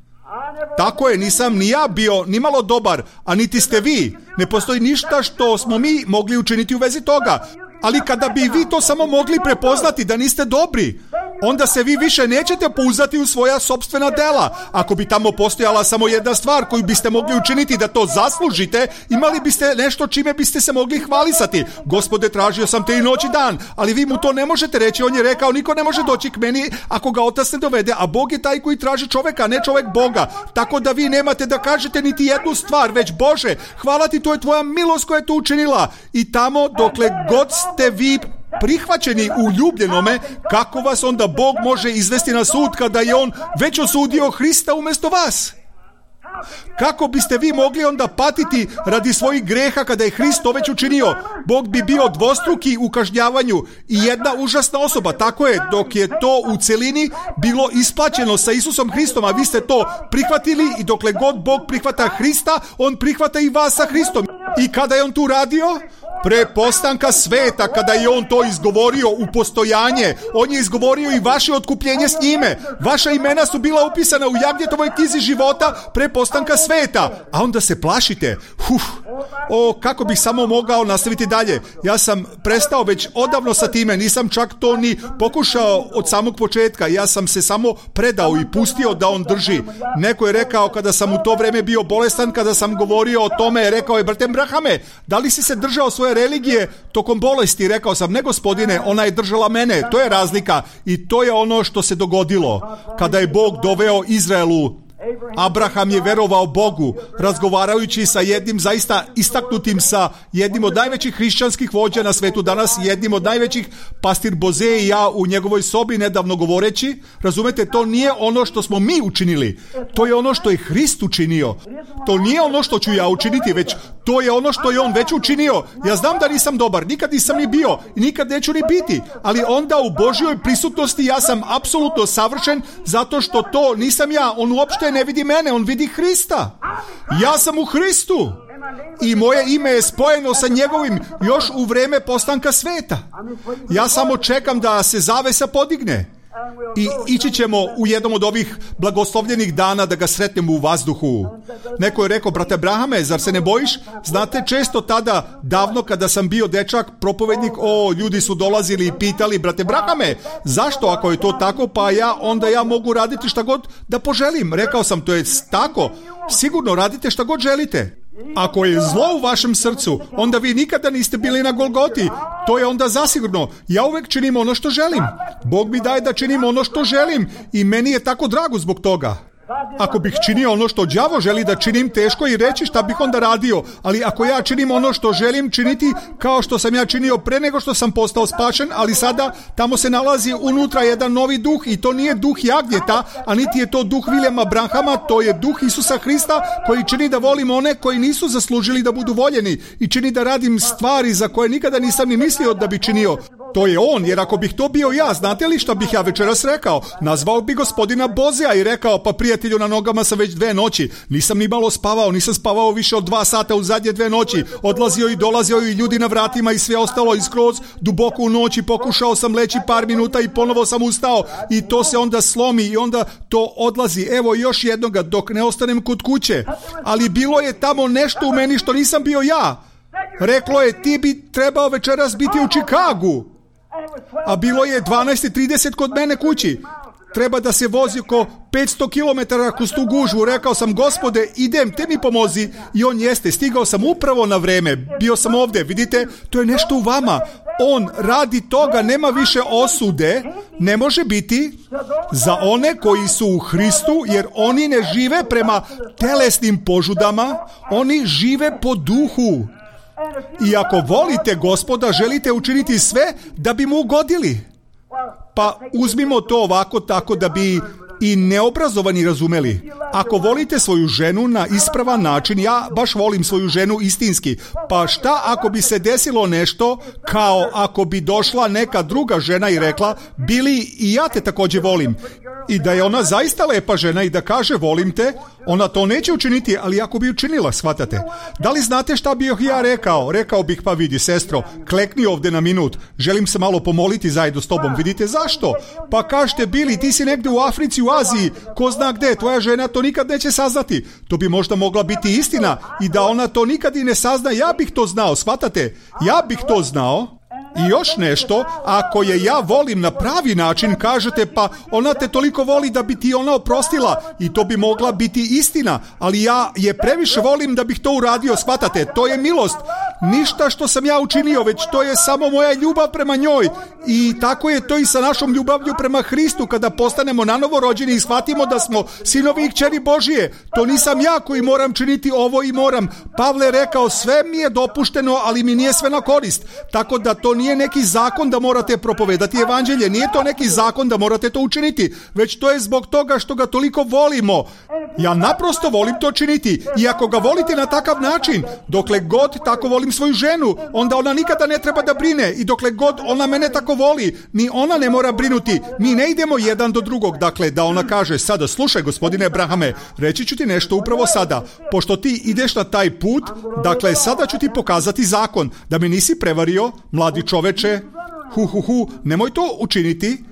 Tako je, nisam ni ja bio ni malo dobar, a niti ste vi. Ne postoji ništa što smo mi mogli učiniti u vezi toga. Ali kada bi vi to samo mogli prepoznati da niste dobri, onda se vi više nećete pouzdati u svoja sopstvena dela. Ako bi tamo postojala samo jedna stvar koju biste mogli učiniti da to zaslužite, imali biste nešto čime biste se mogli hvalisati. Gospode, tražio sam te i noć i dan, ali vi mu to ne možete reći. On je rekao: niko ne može doći k meni ako ga Otac ne dovede, a Bog je taj koji traži čoveka, ne čovek Boga. Tako da vi nemate da kažete niti jednu stvar, već Bože, hvala ti, to je tvoja milost koja je to učinila. I tamo dokle god ste vi prihvaćeni u ljubljenome, kako vas onda Bog može izvesti na sud kada je on već osudio Hrista umjesto vas? Kako biste vi mogli onda patiti radi svojih greha kada je Hrist to već učinio? Bog bi bio dvostruki u kažnjavanju i jedna užasna osoba. Tako je, dok je to u celini bilo isplaćeno sa Isusom Hristom, a vi ste to prihvatili i dokle god Bog prihvata Hrista, on prihvata i vas sa Hristom. I kada je on tu radio? Pre postanka sveta, kada je on to izgovorio u postojanje, on je izgovorio i vaše otkupljenje s njime. Vaša imena su bila upisana u Jagnjetovoj knjizi života pre postanka sveta. A onda se plašite. Kako bih samo mogao nastaviti dalje. Ja sam prestao već odavno sa time, nisam čak to ni pokušao od samog početka. Ja sam se samo predao i pustio da on drži. Neko je rekao kada sam u to vreme bio bolestan, kada sam govorio o tome, rekao je: brate Brahame, da li si se držao svoje religije tokom bolesti? Rekao sam: ne, gospodine, ona je držala mene. To je razlika i to je ono što se dogodilo kada je Bog doveo Izraelu. Abraham je verovao Bogu, razgovarajući sa jednim zaista istaknutim, sa jednim od najvećih hrišćanskih vođa na svetu danas, jednim od najvećih, pastir Boze i ja u njegovoj sobi nedavno govoreći. Razumete, to nije ono što smo mi učinili, to je ono što je Hrist učinio. To nije ono što ću ja učiniti, već to je ono što je on već učinio. Ja znam da nisam dobar, nikad nisam ni bio i nikad neću ni biti, ali onda u Božjoj prisutnosti ja sam apsolutno savršen, zato što to nisam ja. On uopšte ne vidi mene, on vidi Hrista. Ja sam u Hristu. i moje ime je spojeno sa njegovim još u vreme postanka sveta. Ja samo čekam da se zavesa podigne. I ići ćemo u jednom od ovih blagoslovljenih dana da ga sretnemo u vazduhu. Neko je rekao, brate Abrahame, zar se ne bojiš? Znate, često tada, davno kada sam bio dečak, propovednik, ljudi su dolazili i pitali, brate Abrahame, zašto ako je to tako, pa onda ja mogu raditi šta god da poželim. Rekao sam, to je tako, sigurno radite šta god želite. Ako je zlo u vašem srcu, onda vi nikada niste bili na Golgoti. To je onda zasigurno. Ja uvek činim ono što želim. Bog mi daje da činim ono što želim i meni je tako drago zbog toga. Ako bih činio ono što đavo želi da činim, teško i reći šta bih onda radio. Ali ako ja činim ono što želim činiti, kao što sam ja činio pre nego što sam postao spašen, ali sada tamo se nalazi unutra jedan novi duh i to nije duh jagnjeta, a niti je to duh Viljama Branhama, to je duh Isusa Hrista koji čini da volim one koji nisu zaslužili da budu voljeni i čini da radim stvari za koje nikada nisam ni mislio da bi činio. To je on, jer ako bih to bio ja, znate li šta bih ja večeras rekao? Nazvao bi gospodina Bozea i rekao, pa prijatelju, na nogama sam već 2 noći, nisam ni malo spavao, nisam spavao više od 2 sata u zadnje 2 noći, odlazio i dolazio i ljudi na vratima i sve ostalo i skroz duboko u noći pokušao sam leći par minuta i ponovo sam ustao i to se onda slomi i onda to odlazi. Evo još jednoga dok ne ostanem kod kuće, ali bilo je tamo nešto u meni što nisam bio ja. Reklo je, ti bi trebao večeras biti u Čikagu. A bilo je 12:30 kod mene kući. Treba da se vozi oko 500 km kroz tu gužvu. Rekao sam, Gospode, idem, te mi pomozi. I on jeste, stigao sam upravo na vreme. Bio sam ovdje, vidite, to je nešto u vama. On radi toga, nema više osude, ne može biti za one koji su u Hristu, jer oni ne žive prema telesnim požudama, oni žive po duhu. I ako volite Gospoda, želite učiniti sve da bi mu ugodili. Pa uzmimo to ovako tako da bi i neobrazovani razumeli. Ako volite svoju ženu na ispravan način, ja baš volim svoju ženu istinski, pa šta ako bi se desilo nešto kao ako bi došla neka druga žena i rekla, Bili, i ja te također volim. I da je ona zaista lepa žena i da kaže volim te, ona to neće učiniti, ali ako bi učinila, shvatate. Da li znate šta bih ja rekao? Rekao bih, pa vidi, sestro, klekni ovdje na minut, želim se malo pomoliti zajedno s tobom. Vidite, zašto? Pa kažete, Bili, ti si negdje u Africi, u Aziji, ko zna gde, tvoja žena to nikad neće saznati. To bi možda mogla biti istina i da ona to nikad i ne sazna, ja bih to znao, shvatate? Ja bih to znao. I još nešto, ako je ja volim na pravi način, kažete, pa ona te toliko voli da bi ti ona oprostila i to bi mogla biti istina, ali ja je previše volim da bih to uradio, shvatate, to je milost. Ništa što sam ja učinio, već to je samo moja ljubav prema njoj. I tako je to i sa našom ljubavlju prema Hristu, kada postanemo nanovo rođeni i shvatimo da smo sinovi i kćeri Božije. To nisam ja koji moram činiti ovo i moram. Pavle je rekao, sve mi je dopušteno, ali mi nije sve na korist. Tako da to nije neki zakon da morate propovedati evanđelje, nije to neki zakon da morate to učiniti, već to je zbog toga što ga toliko volimo. Ja naprosto volim to činiti i ako ga volite na takav način, dokle god tako volim svoju ženu, onda ona nikada ne treba da brine i dokle god ona mene tako voli, ni ona ne mora brinuti. Mi ne idemo jedan do drugog, dakle da ona kaže, sada slušaj gospodine Abrahame, reći ću ti nešto upravo sada, pošto ti ideš na taj put, dakle sada ću ti pokazati zakon, da me nisi prevario, mladi čoveče, nemoj to učiniti.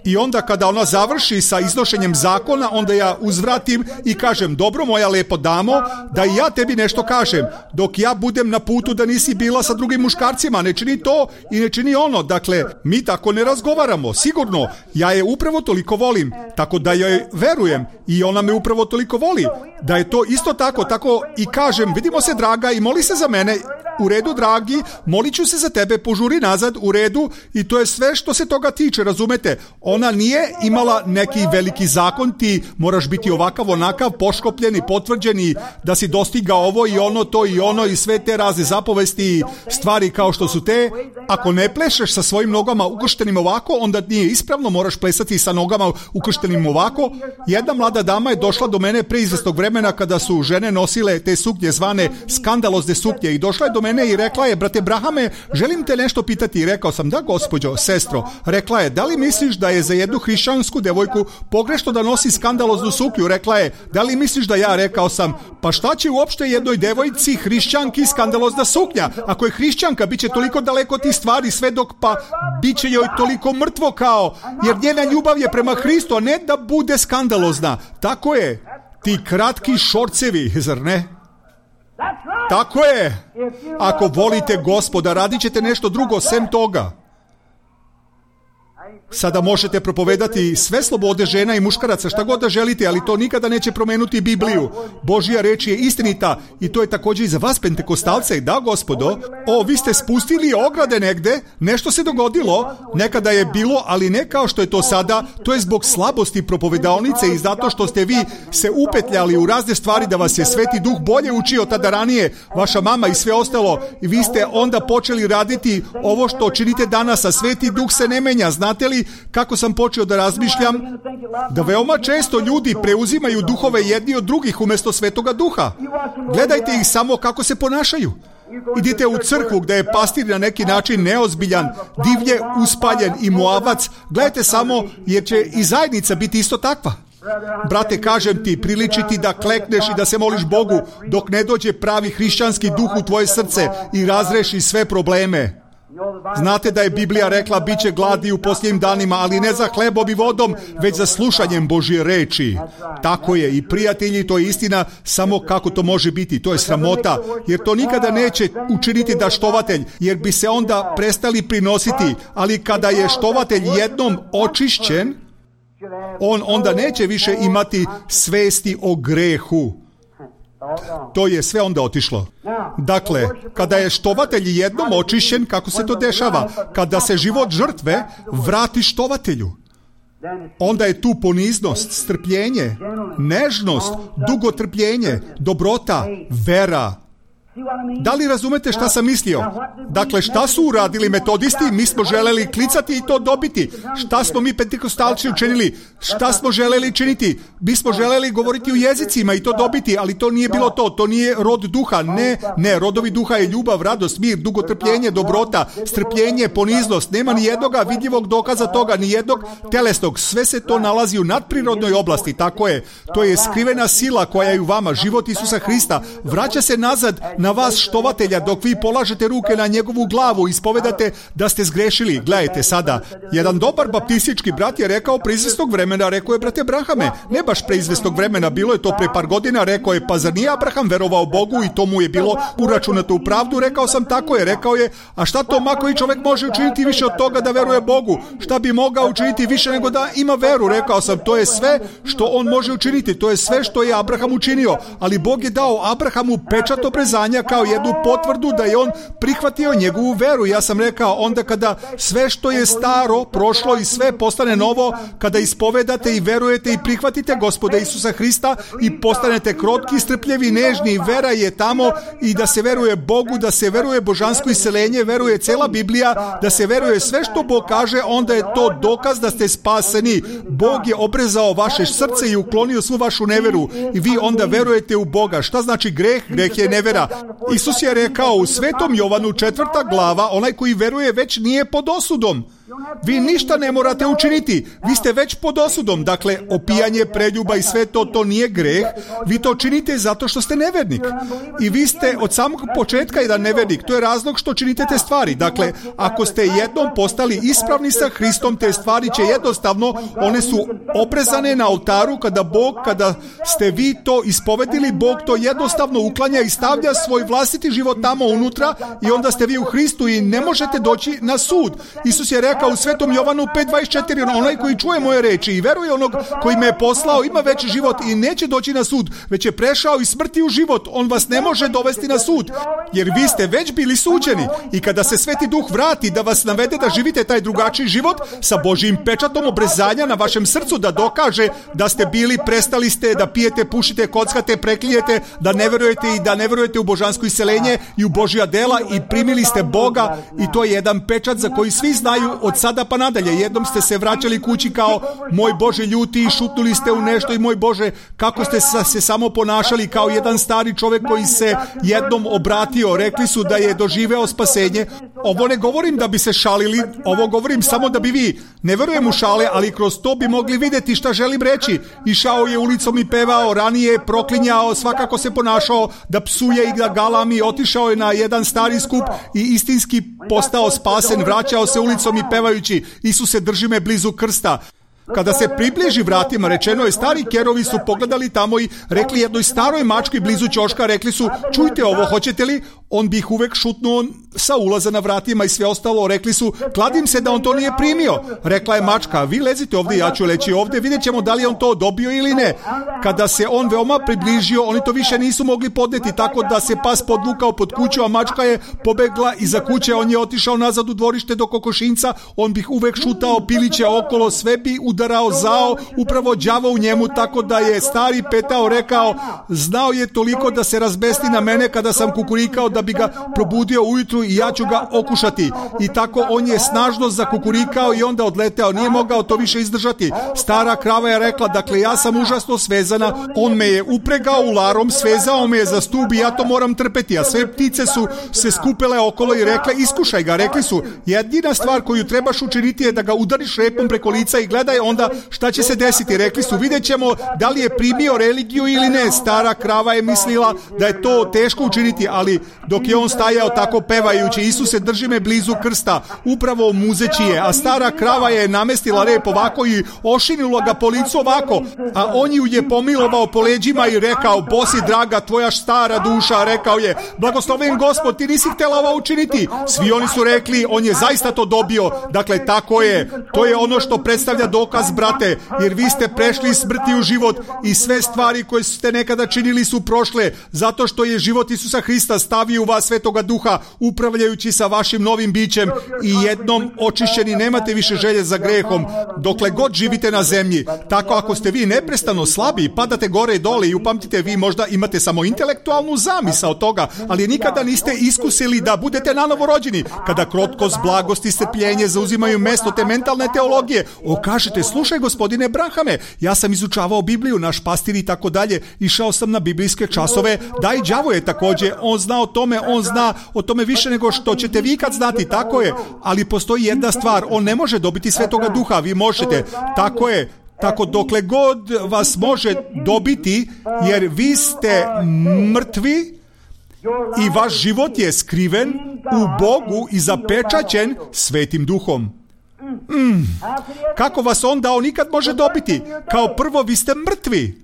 I onda kada ona završi sa iznošenjem zakona, onda ja uzvratim i kažem, dobro moja lepo damo, da i ja tebi nešto kažem, dok ja budem na putu da nisi bila sa drugim muškarcima, ne čini to i ne čini ono. Dakle, mi tako ne razgovaramo, sigurno, ja je upravo toliko volim, tako da joj verujem i ona me upravo toliko voli, da je to isto tako i kažem, vidimo se draga i moli se za mene. U redu, dragi, molit ću se za tebe, požuri nazad, u redu, i to je sve što se toga tiče, razumete? Ona nije imala neki veliki zakon, ti moraš biti ovakav, onakav, poškopljen i potvrđen, da si dostigao ovo i ono, to i ono i sve te razne zapovesti i stvari kao što su te. Ako ne plešeš sa svojim nogama ukrštenim ovako, onda nije ispravno, moraš plesati sa nogama ukrštenim ovako. Jedna mlada dama je došla do mene pre izvesnog vremena kada su žene nosile te suknje zvane skandalozne suknje i došla je do mene mene i rekla je, brate Brahame, želim te nešto pitati. I rekao sam, da gospođo, sestro. Rekla je, da li misliš da je za jednu hrišćansku devojku pogrešno da nosi skandaloznu suknju? Rekla je, da li misliš da ja? Rekao sam, pa šta će uopšte jednoj devojci hrišćanki skandalozna suknja? Ako je hrišćanka, bit će toliko daleko od tih stvari sve dok pa bit će joj toliko mrtvo kao, jer njena ljubav je prema Hristu, a ne da bude skandalozna. Tako je, ti kratki šorcevi, zar ne? Tako je, ako volite Gospoda, radit ćete nešto drugo sem toga. Sada možete propovedati sve slobode žena i muškaraca, šta god da želite, ali to nikada neće promijeniti Bibliju. Božja reč je istinita i to je također i za vas pentekostalce. Da, Gospodo, vi ste spustili ograde negde, nešto se dogodilo, nekada je bilo, ali ne kao što je to sada, to je zbog slabosti propovedaonice i zato što ste vi se upetljali u razne stvari da vas je Sveti Duh bolje učio tada ranije, vaša mama i sve ostalo, i vi ste onda počeli raditi ovo što činite danas, a Sveti Duh se ne menja. Znate li kako sam počeo da razmišljam? Da veoma često ljudi preuzimaju duhove jedni od drugih umjesto Svetoga Duha. Gledajte ih samo kako se ponašaju. Idite u crkvu gdje je pastir na neki način neozbiljan, divlje uspaljen i moavac. Gledajte samo, jer će i zajednica biti isto takva. Brate, kažem ti, priliči ti da klekneš i da se moliš Bogu dok ne dođe pravi hrišćanski duh u tvoje srce i razreši sve probleme. Znate da je Biblija rekla, bit će gladi u posljednjim danima, ali ne za hlebom i vodom, već za slušanjem Božje reči. Tako je, i prijatelji, to je istina, samo kako to može biti, to je sramota, jer to nikada neće učiniti da štovatelj, jer bi se onda prestali prinositi, ali kada je štovatelj jednom očišćen, on onda neće više imati svesti o grehu. To je sve onda otišlo. Dakle, kada je štovatelj jednom očišćen, kako se to dešava? Kada se život žrtve vrati štovatelju, onda je tu poniznost, strpljenje, nežnost, dugotrpljenje, dobrota, vera. Da li razumete šta sam mislio? Dakle, šta su uradili metodisti? Mi smo želeli klicati i to dobiti. Šta smo mi pentekostalci učinili? Šta smo želeli činiti? Mi smo želeli govoriti u jezicima i to dobiti, ali to nije bilo to. To nije rod duha. Ne, rodovi duha je ljubav, radost, mir, dugotrpljenje, dobrota, strpljenje, poniznost. Nema ni jednoga vidljivog dokaza toga, ni jednog telesnog. Sve se to nalazi u nadprirodnoj oblasti. Tako je. To je skrivena sila koja je u vama, život Isusa Hrista. Vraća se nazad na vas štovatelja dok vi polažete ruke na njegovu glavu i ispovedate da ste zgrešili. Gledajte sada, jedan dobar baptistički brat je rekao pre izvesnog vremena, rekao je, brate Brahame, ne baš pre izvesnog vremena, bilo je to pre par godina, rekao je, pa zar nije Abraham verovao Bogu i to mu je bilo uračunato u pravdu? Rekao sam, tako je, rekao je, a šta to ma koji čovjek može učiniti više od toga da veruje Bogu? Šta bi mogao učiniti više nego da ima veru? Rekao sam, to je sve što on može učiniti, to je sve što je Abraham učinio, ali Bog je dao Abrahamu pečat obrezanja kao jednu potvrdu da je on prihvatio njegovu veru. Ja sam rekao, onda kada sve što je staro prošlo i sve postane novo, kada ispovedate i verujete i prihvatite Gospoda Isusa Hrista i postanete krotki, strpljivi, nežni, vera je tamo i da se veruje Bogu, da se veruje božansko iseljenje, veruje cela Biblija, da se veruje sve što Bog kaže, onda je to dokaz da ste spaseni. Bog je obrezao vaše srce i uklonio svu vašu neveru i vi onda verujete u Boga. Šta znači greh? Greh je nevera. Isus je rekao u Svetom Jovanu 4. glava, onaj koji veruje već nije pod osudom. Vi ništa ne morate učiniti, vi ste već pod osudom. Dakle, opijanje, preljuba i sve to nije greh. Vi to činite zato što ste nevernik. I vi ste od samog početka jedan nevernik. To je razlog što činite te stvari. Dakle, ako ste jednom postali ispravni sa Hristom, te stvari će jednostavno, one su oprezane na oltaru kada ste vi to ispovedili, Bog to jednostavno uklanja i stavlja svoj vlastiti život tamo unutra i onda ste vi u Hristu i ne možete doći na sud. Isus je rekao u Svetom Jovanu 5.24, onaj koji čuje moje reči i veruje onog koji me je poslao ima veći život i neće doći na sud, već je prešao iz smrti u život. On vas ne može dovesti na sud, jer vi ste već bili suđeni. I kada se Sveti Duh vrati da vas navede da živite taj drugačiji život sa Božjim pečatom obrezanja na vašem srcu, da dokaže da ste bili, prestali ste da pijete, pušite, kockate, preklijete, da ne verujete i da ne verujete u božansko iseljenje i u Božja dela i primili ste Boga, i to je jedan pečat za koji svi znaju od od sada pa nadalje. Jednom ste se vraćali kući kao moj Bože ljuti i šutnuli ste u nešto i moj Bože kako ste se samo ponašali kao jedan stari čovjek koji se jednom obratio. Rekli su da je doživeo spasenje. Ovo ne govorim da bi se šalili, ovo govorim samo da bi vi, ne verujem u šale, ali kroz to bi mogli vidjeti šta želim reći. Išao je ulicom i pevao, ranije proklinjao, svakako se ponašao da psuje i da galami, otišao je na jedan stari skup i istinski postao spasen, vraćao se ulicom i pevajući Isuse drži me blizu krsta. Kada se približi vratima, rečeno je, stari kerovi su pogledali tamo i rekli jednoj staroj mački blizu ćoška, rekli su, čujte ovo, hoćete li? On bi ih uvek šutnuo sa ulaza na vratima i sve ostalo. Rekli su, kladim se da on to nije primio. Rekla je mačka, vi lezite ovdje, ja ću leći ovdje, vidjet ćemo da li je on to dobio ili ne. Kada se on veoma približio, oni to više nisu mogli podneti, tako da se pas podvukao pod kuću, a mačka je pobegla iza kuće, on je otišao nazad u dvorište do kokošinca, on bi uvek šutao piliće okolo, sve bi udarao zao, upravo đavo u njemu, tako da je stari petao rekao, znao je toliko da se razbesti na mene kada sam kukurikao da bi ga probudio ujutru i ja ću ga okušati. I tako on je snažno zakukurikao i onda odleteo, nije mogao to više izdržati. Stara krava je rekla, dakle ja sam užasno svezana, on me je upregao ularom, svezao me je za stub i ja to moram trpeti, a sve ptice su se skupile okolo i rekle, iskušaj ga. Rekli su, jedina stvar koju trebaš učiniti je da ga udariš repom preko lica i gledaj onda šta će se desiti. Rekli su, vidjet ćemo da li je primio religiju ili ne. Stara krava je mislila da je to teško učiniti, ali dok je on stajao tako pevajući Isuse drži me blizu krsta, upravo muzeći je, a stara krava je namestila rep ovako i ošinila ga po licu ovako, a on ju je pomilovao po leđima i rekao, Bosi draga tvoja stara duša, rekao je, blagosloven Gospod, ti nisi htjela ovo učiniti. Svi oni su rekli, on je zaista to dobio. Dakle, tako je, to je ono što predstavlja dokaz, brate, jer vi ste prešli iz smrti u život i sve stvari koje ste nekada činili su prošle, zato što je život Isusa Hrista stavio u vas Svetoga Duha, upravljajući sa vašim novim bićem i jednom očišćeni, nemate više želje za grehom dokle god živite na zemlji. Tako ako ste vi neprestano slabi, padate gore i dole i upamtite, vi možda imate samo intelektualnu zamisao toga, ali nikada niste iskusili da budete nanovo rođeni. Kada krotkost, blagost i strpljenje zauzimaju mesto te mentalne teologije, kažete, slušaj gospodine Brahame, ja sam izučavao Bibliju, naš pastir i tako dalje, išao sam na biblijske časove, da i đavo je također, on zna o tome, on zna o tome više nego što ćete vi kad znati, tako je, ali postoji jedna stvar, on ne može dobiti Svetoga Duha, vi možete, tako je. Tako dokle god vas može dobiti, jer vi ste mrtvi i vaš život je skriven u Bogu i zapečaćen Svetim Duhom. Kako vas onda on nikad može dobiti? Kao prvo, vi ste mrtvi.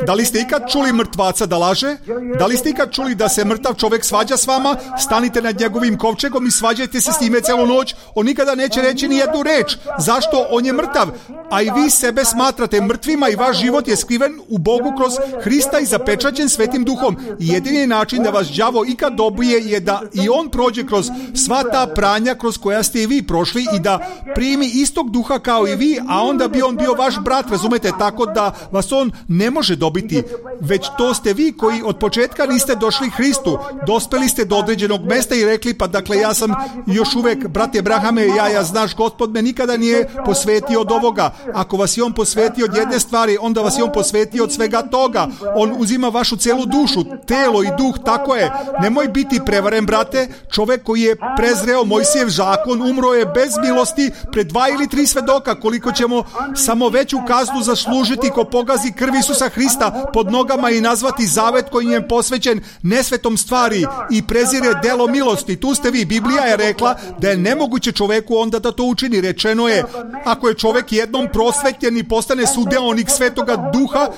Da li ste ikad čuli mrtvaca da laže? Da li ste ikad čuli da se mrtav čovjek svađa s vama? Stanite nad njegovim kovčegom i svađajte se s njime celu noć. On nikada neće reći ni jednu reč. Zašto? On je mrtav. A i vi sebe smatrate mrtvima i vaš život je skriven u Bogu kroz Hrista i zapečaćen Svetim Duhom. I jedini način da vas đavo ikad dobije je da i on prođe kroz sva ta pranja kroz koja ste i vi prošli i da primi istog duha kao i vi, a onda bi on bio vaš brat, razumete, tako da vas on ne može dobiti, već to ste vi koji od početka niste došli Hristu, dospeli ste do određenog mesta i rekli, pa dakle ja sam još uvek, brate Brahame, ja znaš, Gospod me nikada nije posvetio od ovoga. Ako vas je on posvetio od jedne stvari, onda vas je on posvetio od svega toga. On uzima vašu celu dušu, telo i duh, tako je. Nemoj biti prevaren, brate. Čovek koji je prezreo Mojsijev zakon umro je bez milosti pred 2 ili 3 svedoka, koliko ćemo samo veću kaznu zaslužiti ko pogazi krv Isusa Hrista pod nogama i nazvati zavet koji je posvećen nesvetom stvari i prezire delo milosti. Tu ste vi. Biblija je rekla da je nemoguće čoveku onda da to učini. Rečeno je, ako je čovek jednom prosvetljen i postane sudeonik Svetoga Duha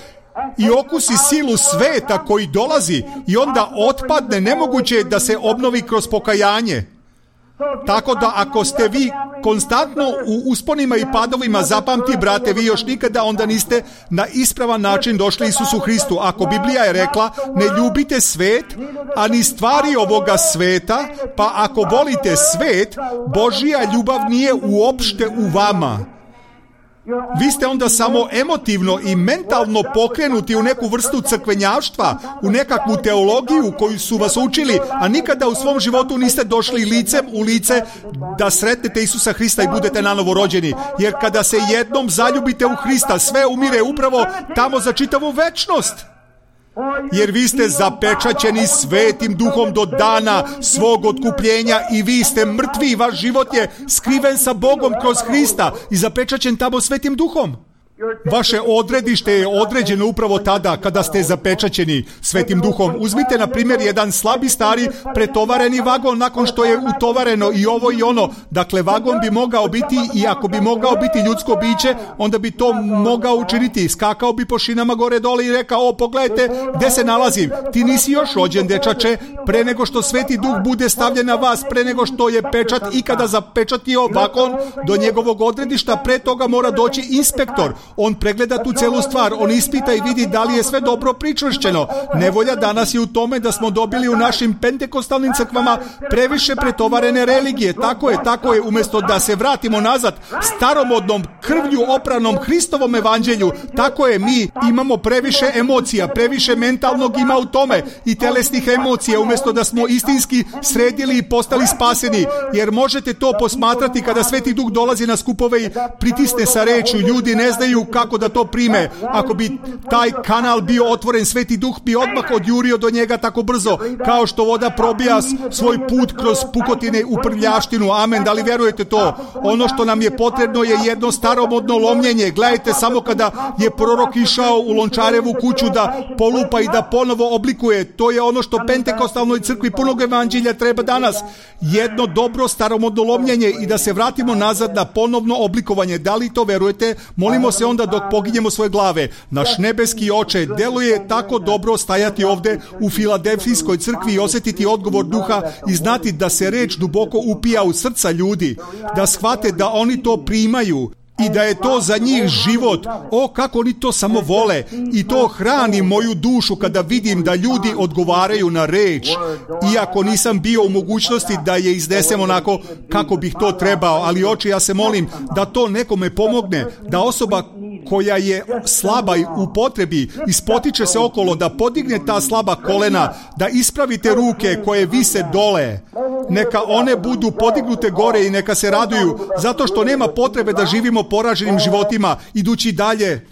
i okusi silu sveta koji dolazi i onda otpadne, nemoguće je da se obnovi kroz pokajanje. Tako da ako ste vi konstantno u usponima i padovima, zapamti, brate, vi još nikada onda niste na ispravan način došli Isusu Hristu. Ako Biblija je rekla, ne ljubite svet, a ni stvari ovoga sveta, pa ako volite svet, Božija ljubav nije uopšte u vama. Vi ste onda samo emotivno i mentalno pokrenuti u neku vrstu crkvenjaštva, u nekakvu teologiju koju su vas učili, a nikada u svom životu niste došli licem u lice da sretnete Isusa Hrista i budete nanovo rođeni. Jer kada se jednom zaljubite u Hrista, sve umire upravo tamo za čitavu večnost. Jer vi ste zapečaćeni Svetim Duhom do dana svog otkupljenja i vi ste mrtvi, vaš život je skriven sa Bogom kroz Hrista i zapečaćen tamo Svetim Duhom. Vaše odredište je određeno upravo tada kada ste zapečaćeni Svetim Duhom. Uzmite na primjer jedan slabi stari pretovareni vagon nakon što je utovareno i ovo i ono. Dakle, vagon bi mogao biti, i ako bi mogao biti ljudsko biće, onda bi to mogao učiniti. Skakao bi po šinama gore dole i rekao: o, pogledajte gde se nalazim. Ti nisi još rođen, dečače. Pre nego što Sveti Duh bude stavljen na vas, pre nego što je pečat ikada zapečatio vagon do njegovog odredišta, pre toga mora doći inspektor. On pregleda tu celu stvar, on ispita i vidi da li je sve dobro pričvršćeno. Nevolja danas je u tome da smo dobili u našim pentekostalnim crkvama previše pretovarene religije. Tako je, umjesto da se vratimo nazad staromodnom, krvlju opranom Hristovom evanđelju. Tako je, mi imamo previše emocija, previše mentalnog ima u tome i telesnih emocija, umjesto da smo istinski sredili i postali spaseni. Jer možete to posmatrati kada Sveti Duh dolazi na skupove i pritisne sa rečju. Ljudi ne znaju kako da to prime. Ako bi taj kanal bio otvoren, Sveti Duh bi odmah odjurio do njega tako brzo, kao što voda probija svoj put kroz pukotine u prljaštinu. Amen, da li vjerujete to? Ono što nam je potrebno je jedno staromodno lomljenje. Gledajte, samo kada je prorok išao u Lončarevu kuću da polupa i da ponovo oblikuje, to je ono što pentekostalnoj crkvi punog evanđelja treba danas. Jedno dobro staromodno lomljenje i da se vratimo nazad na ponovno oblikovanje. Da li to verujete? Molimo se onda dok poginjemo svoje glave. Naš nebeski Oče, deluje tako dobro stajati ovde u Filadelfijskoj crkvi i osjetiti odgovor Duha i znati da se reč duboko upija u srca ljudi, da shvate da oni to primaju i da je to za njih život. O, kako oni to samo vole. I to hrani moju dušu kada vidim da ljudi odgovaraju na reč. Iako nisam bio u mogućnosti da je iznesem onako kako bih to trebao, ali Oče, ja se molim da to nekome pomogne, da osoba koja je slaba u potrebi ispotiče se okolo, da podigne ta slaba kolena, da ispravite ruke koje vise dole. Neka one budu podignute gore i neka se raduju, zato što nema potrebe da živimo poraženim životima, idući dalje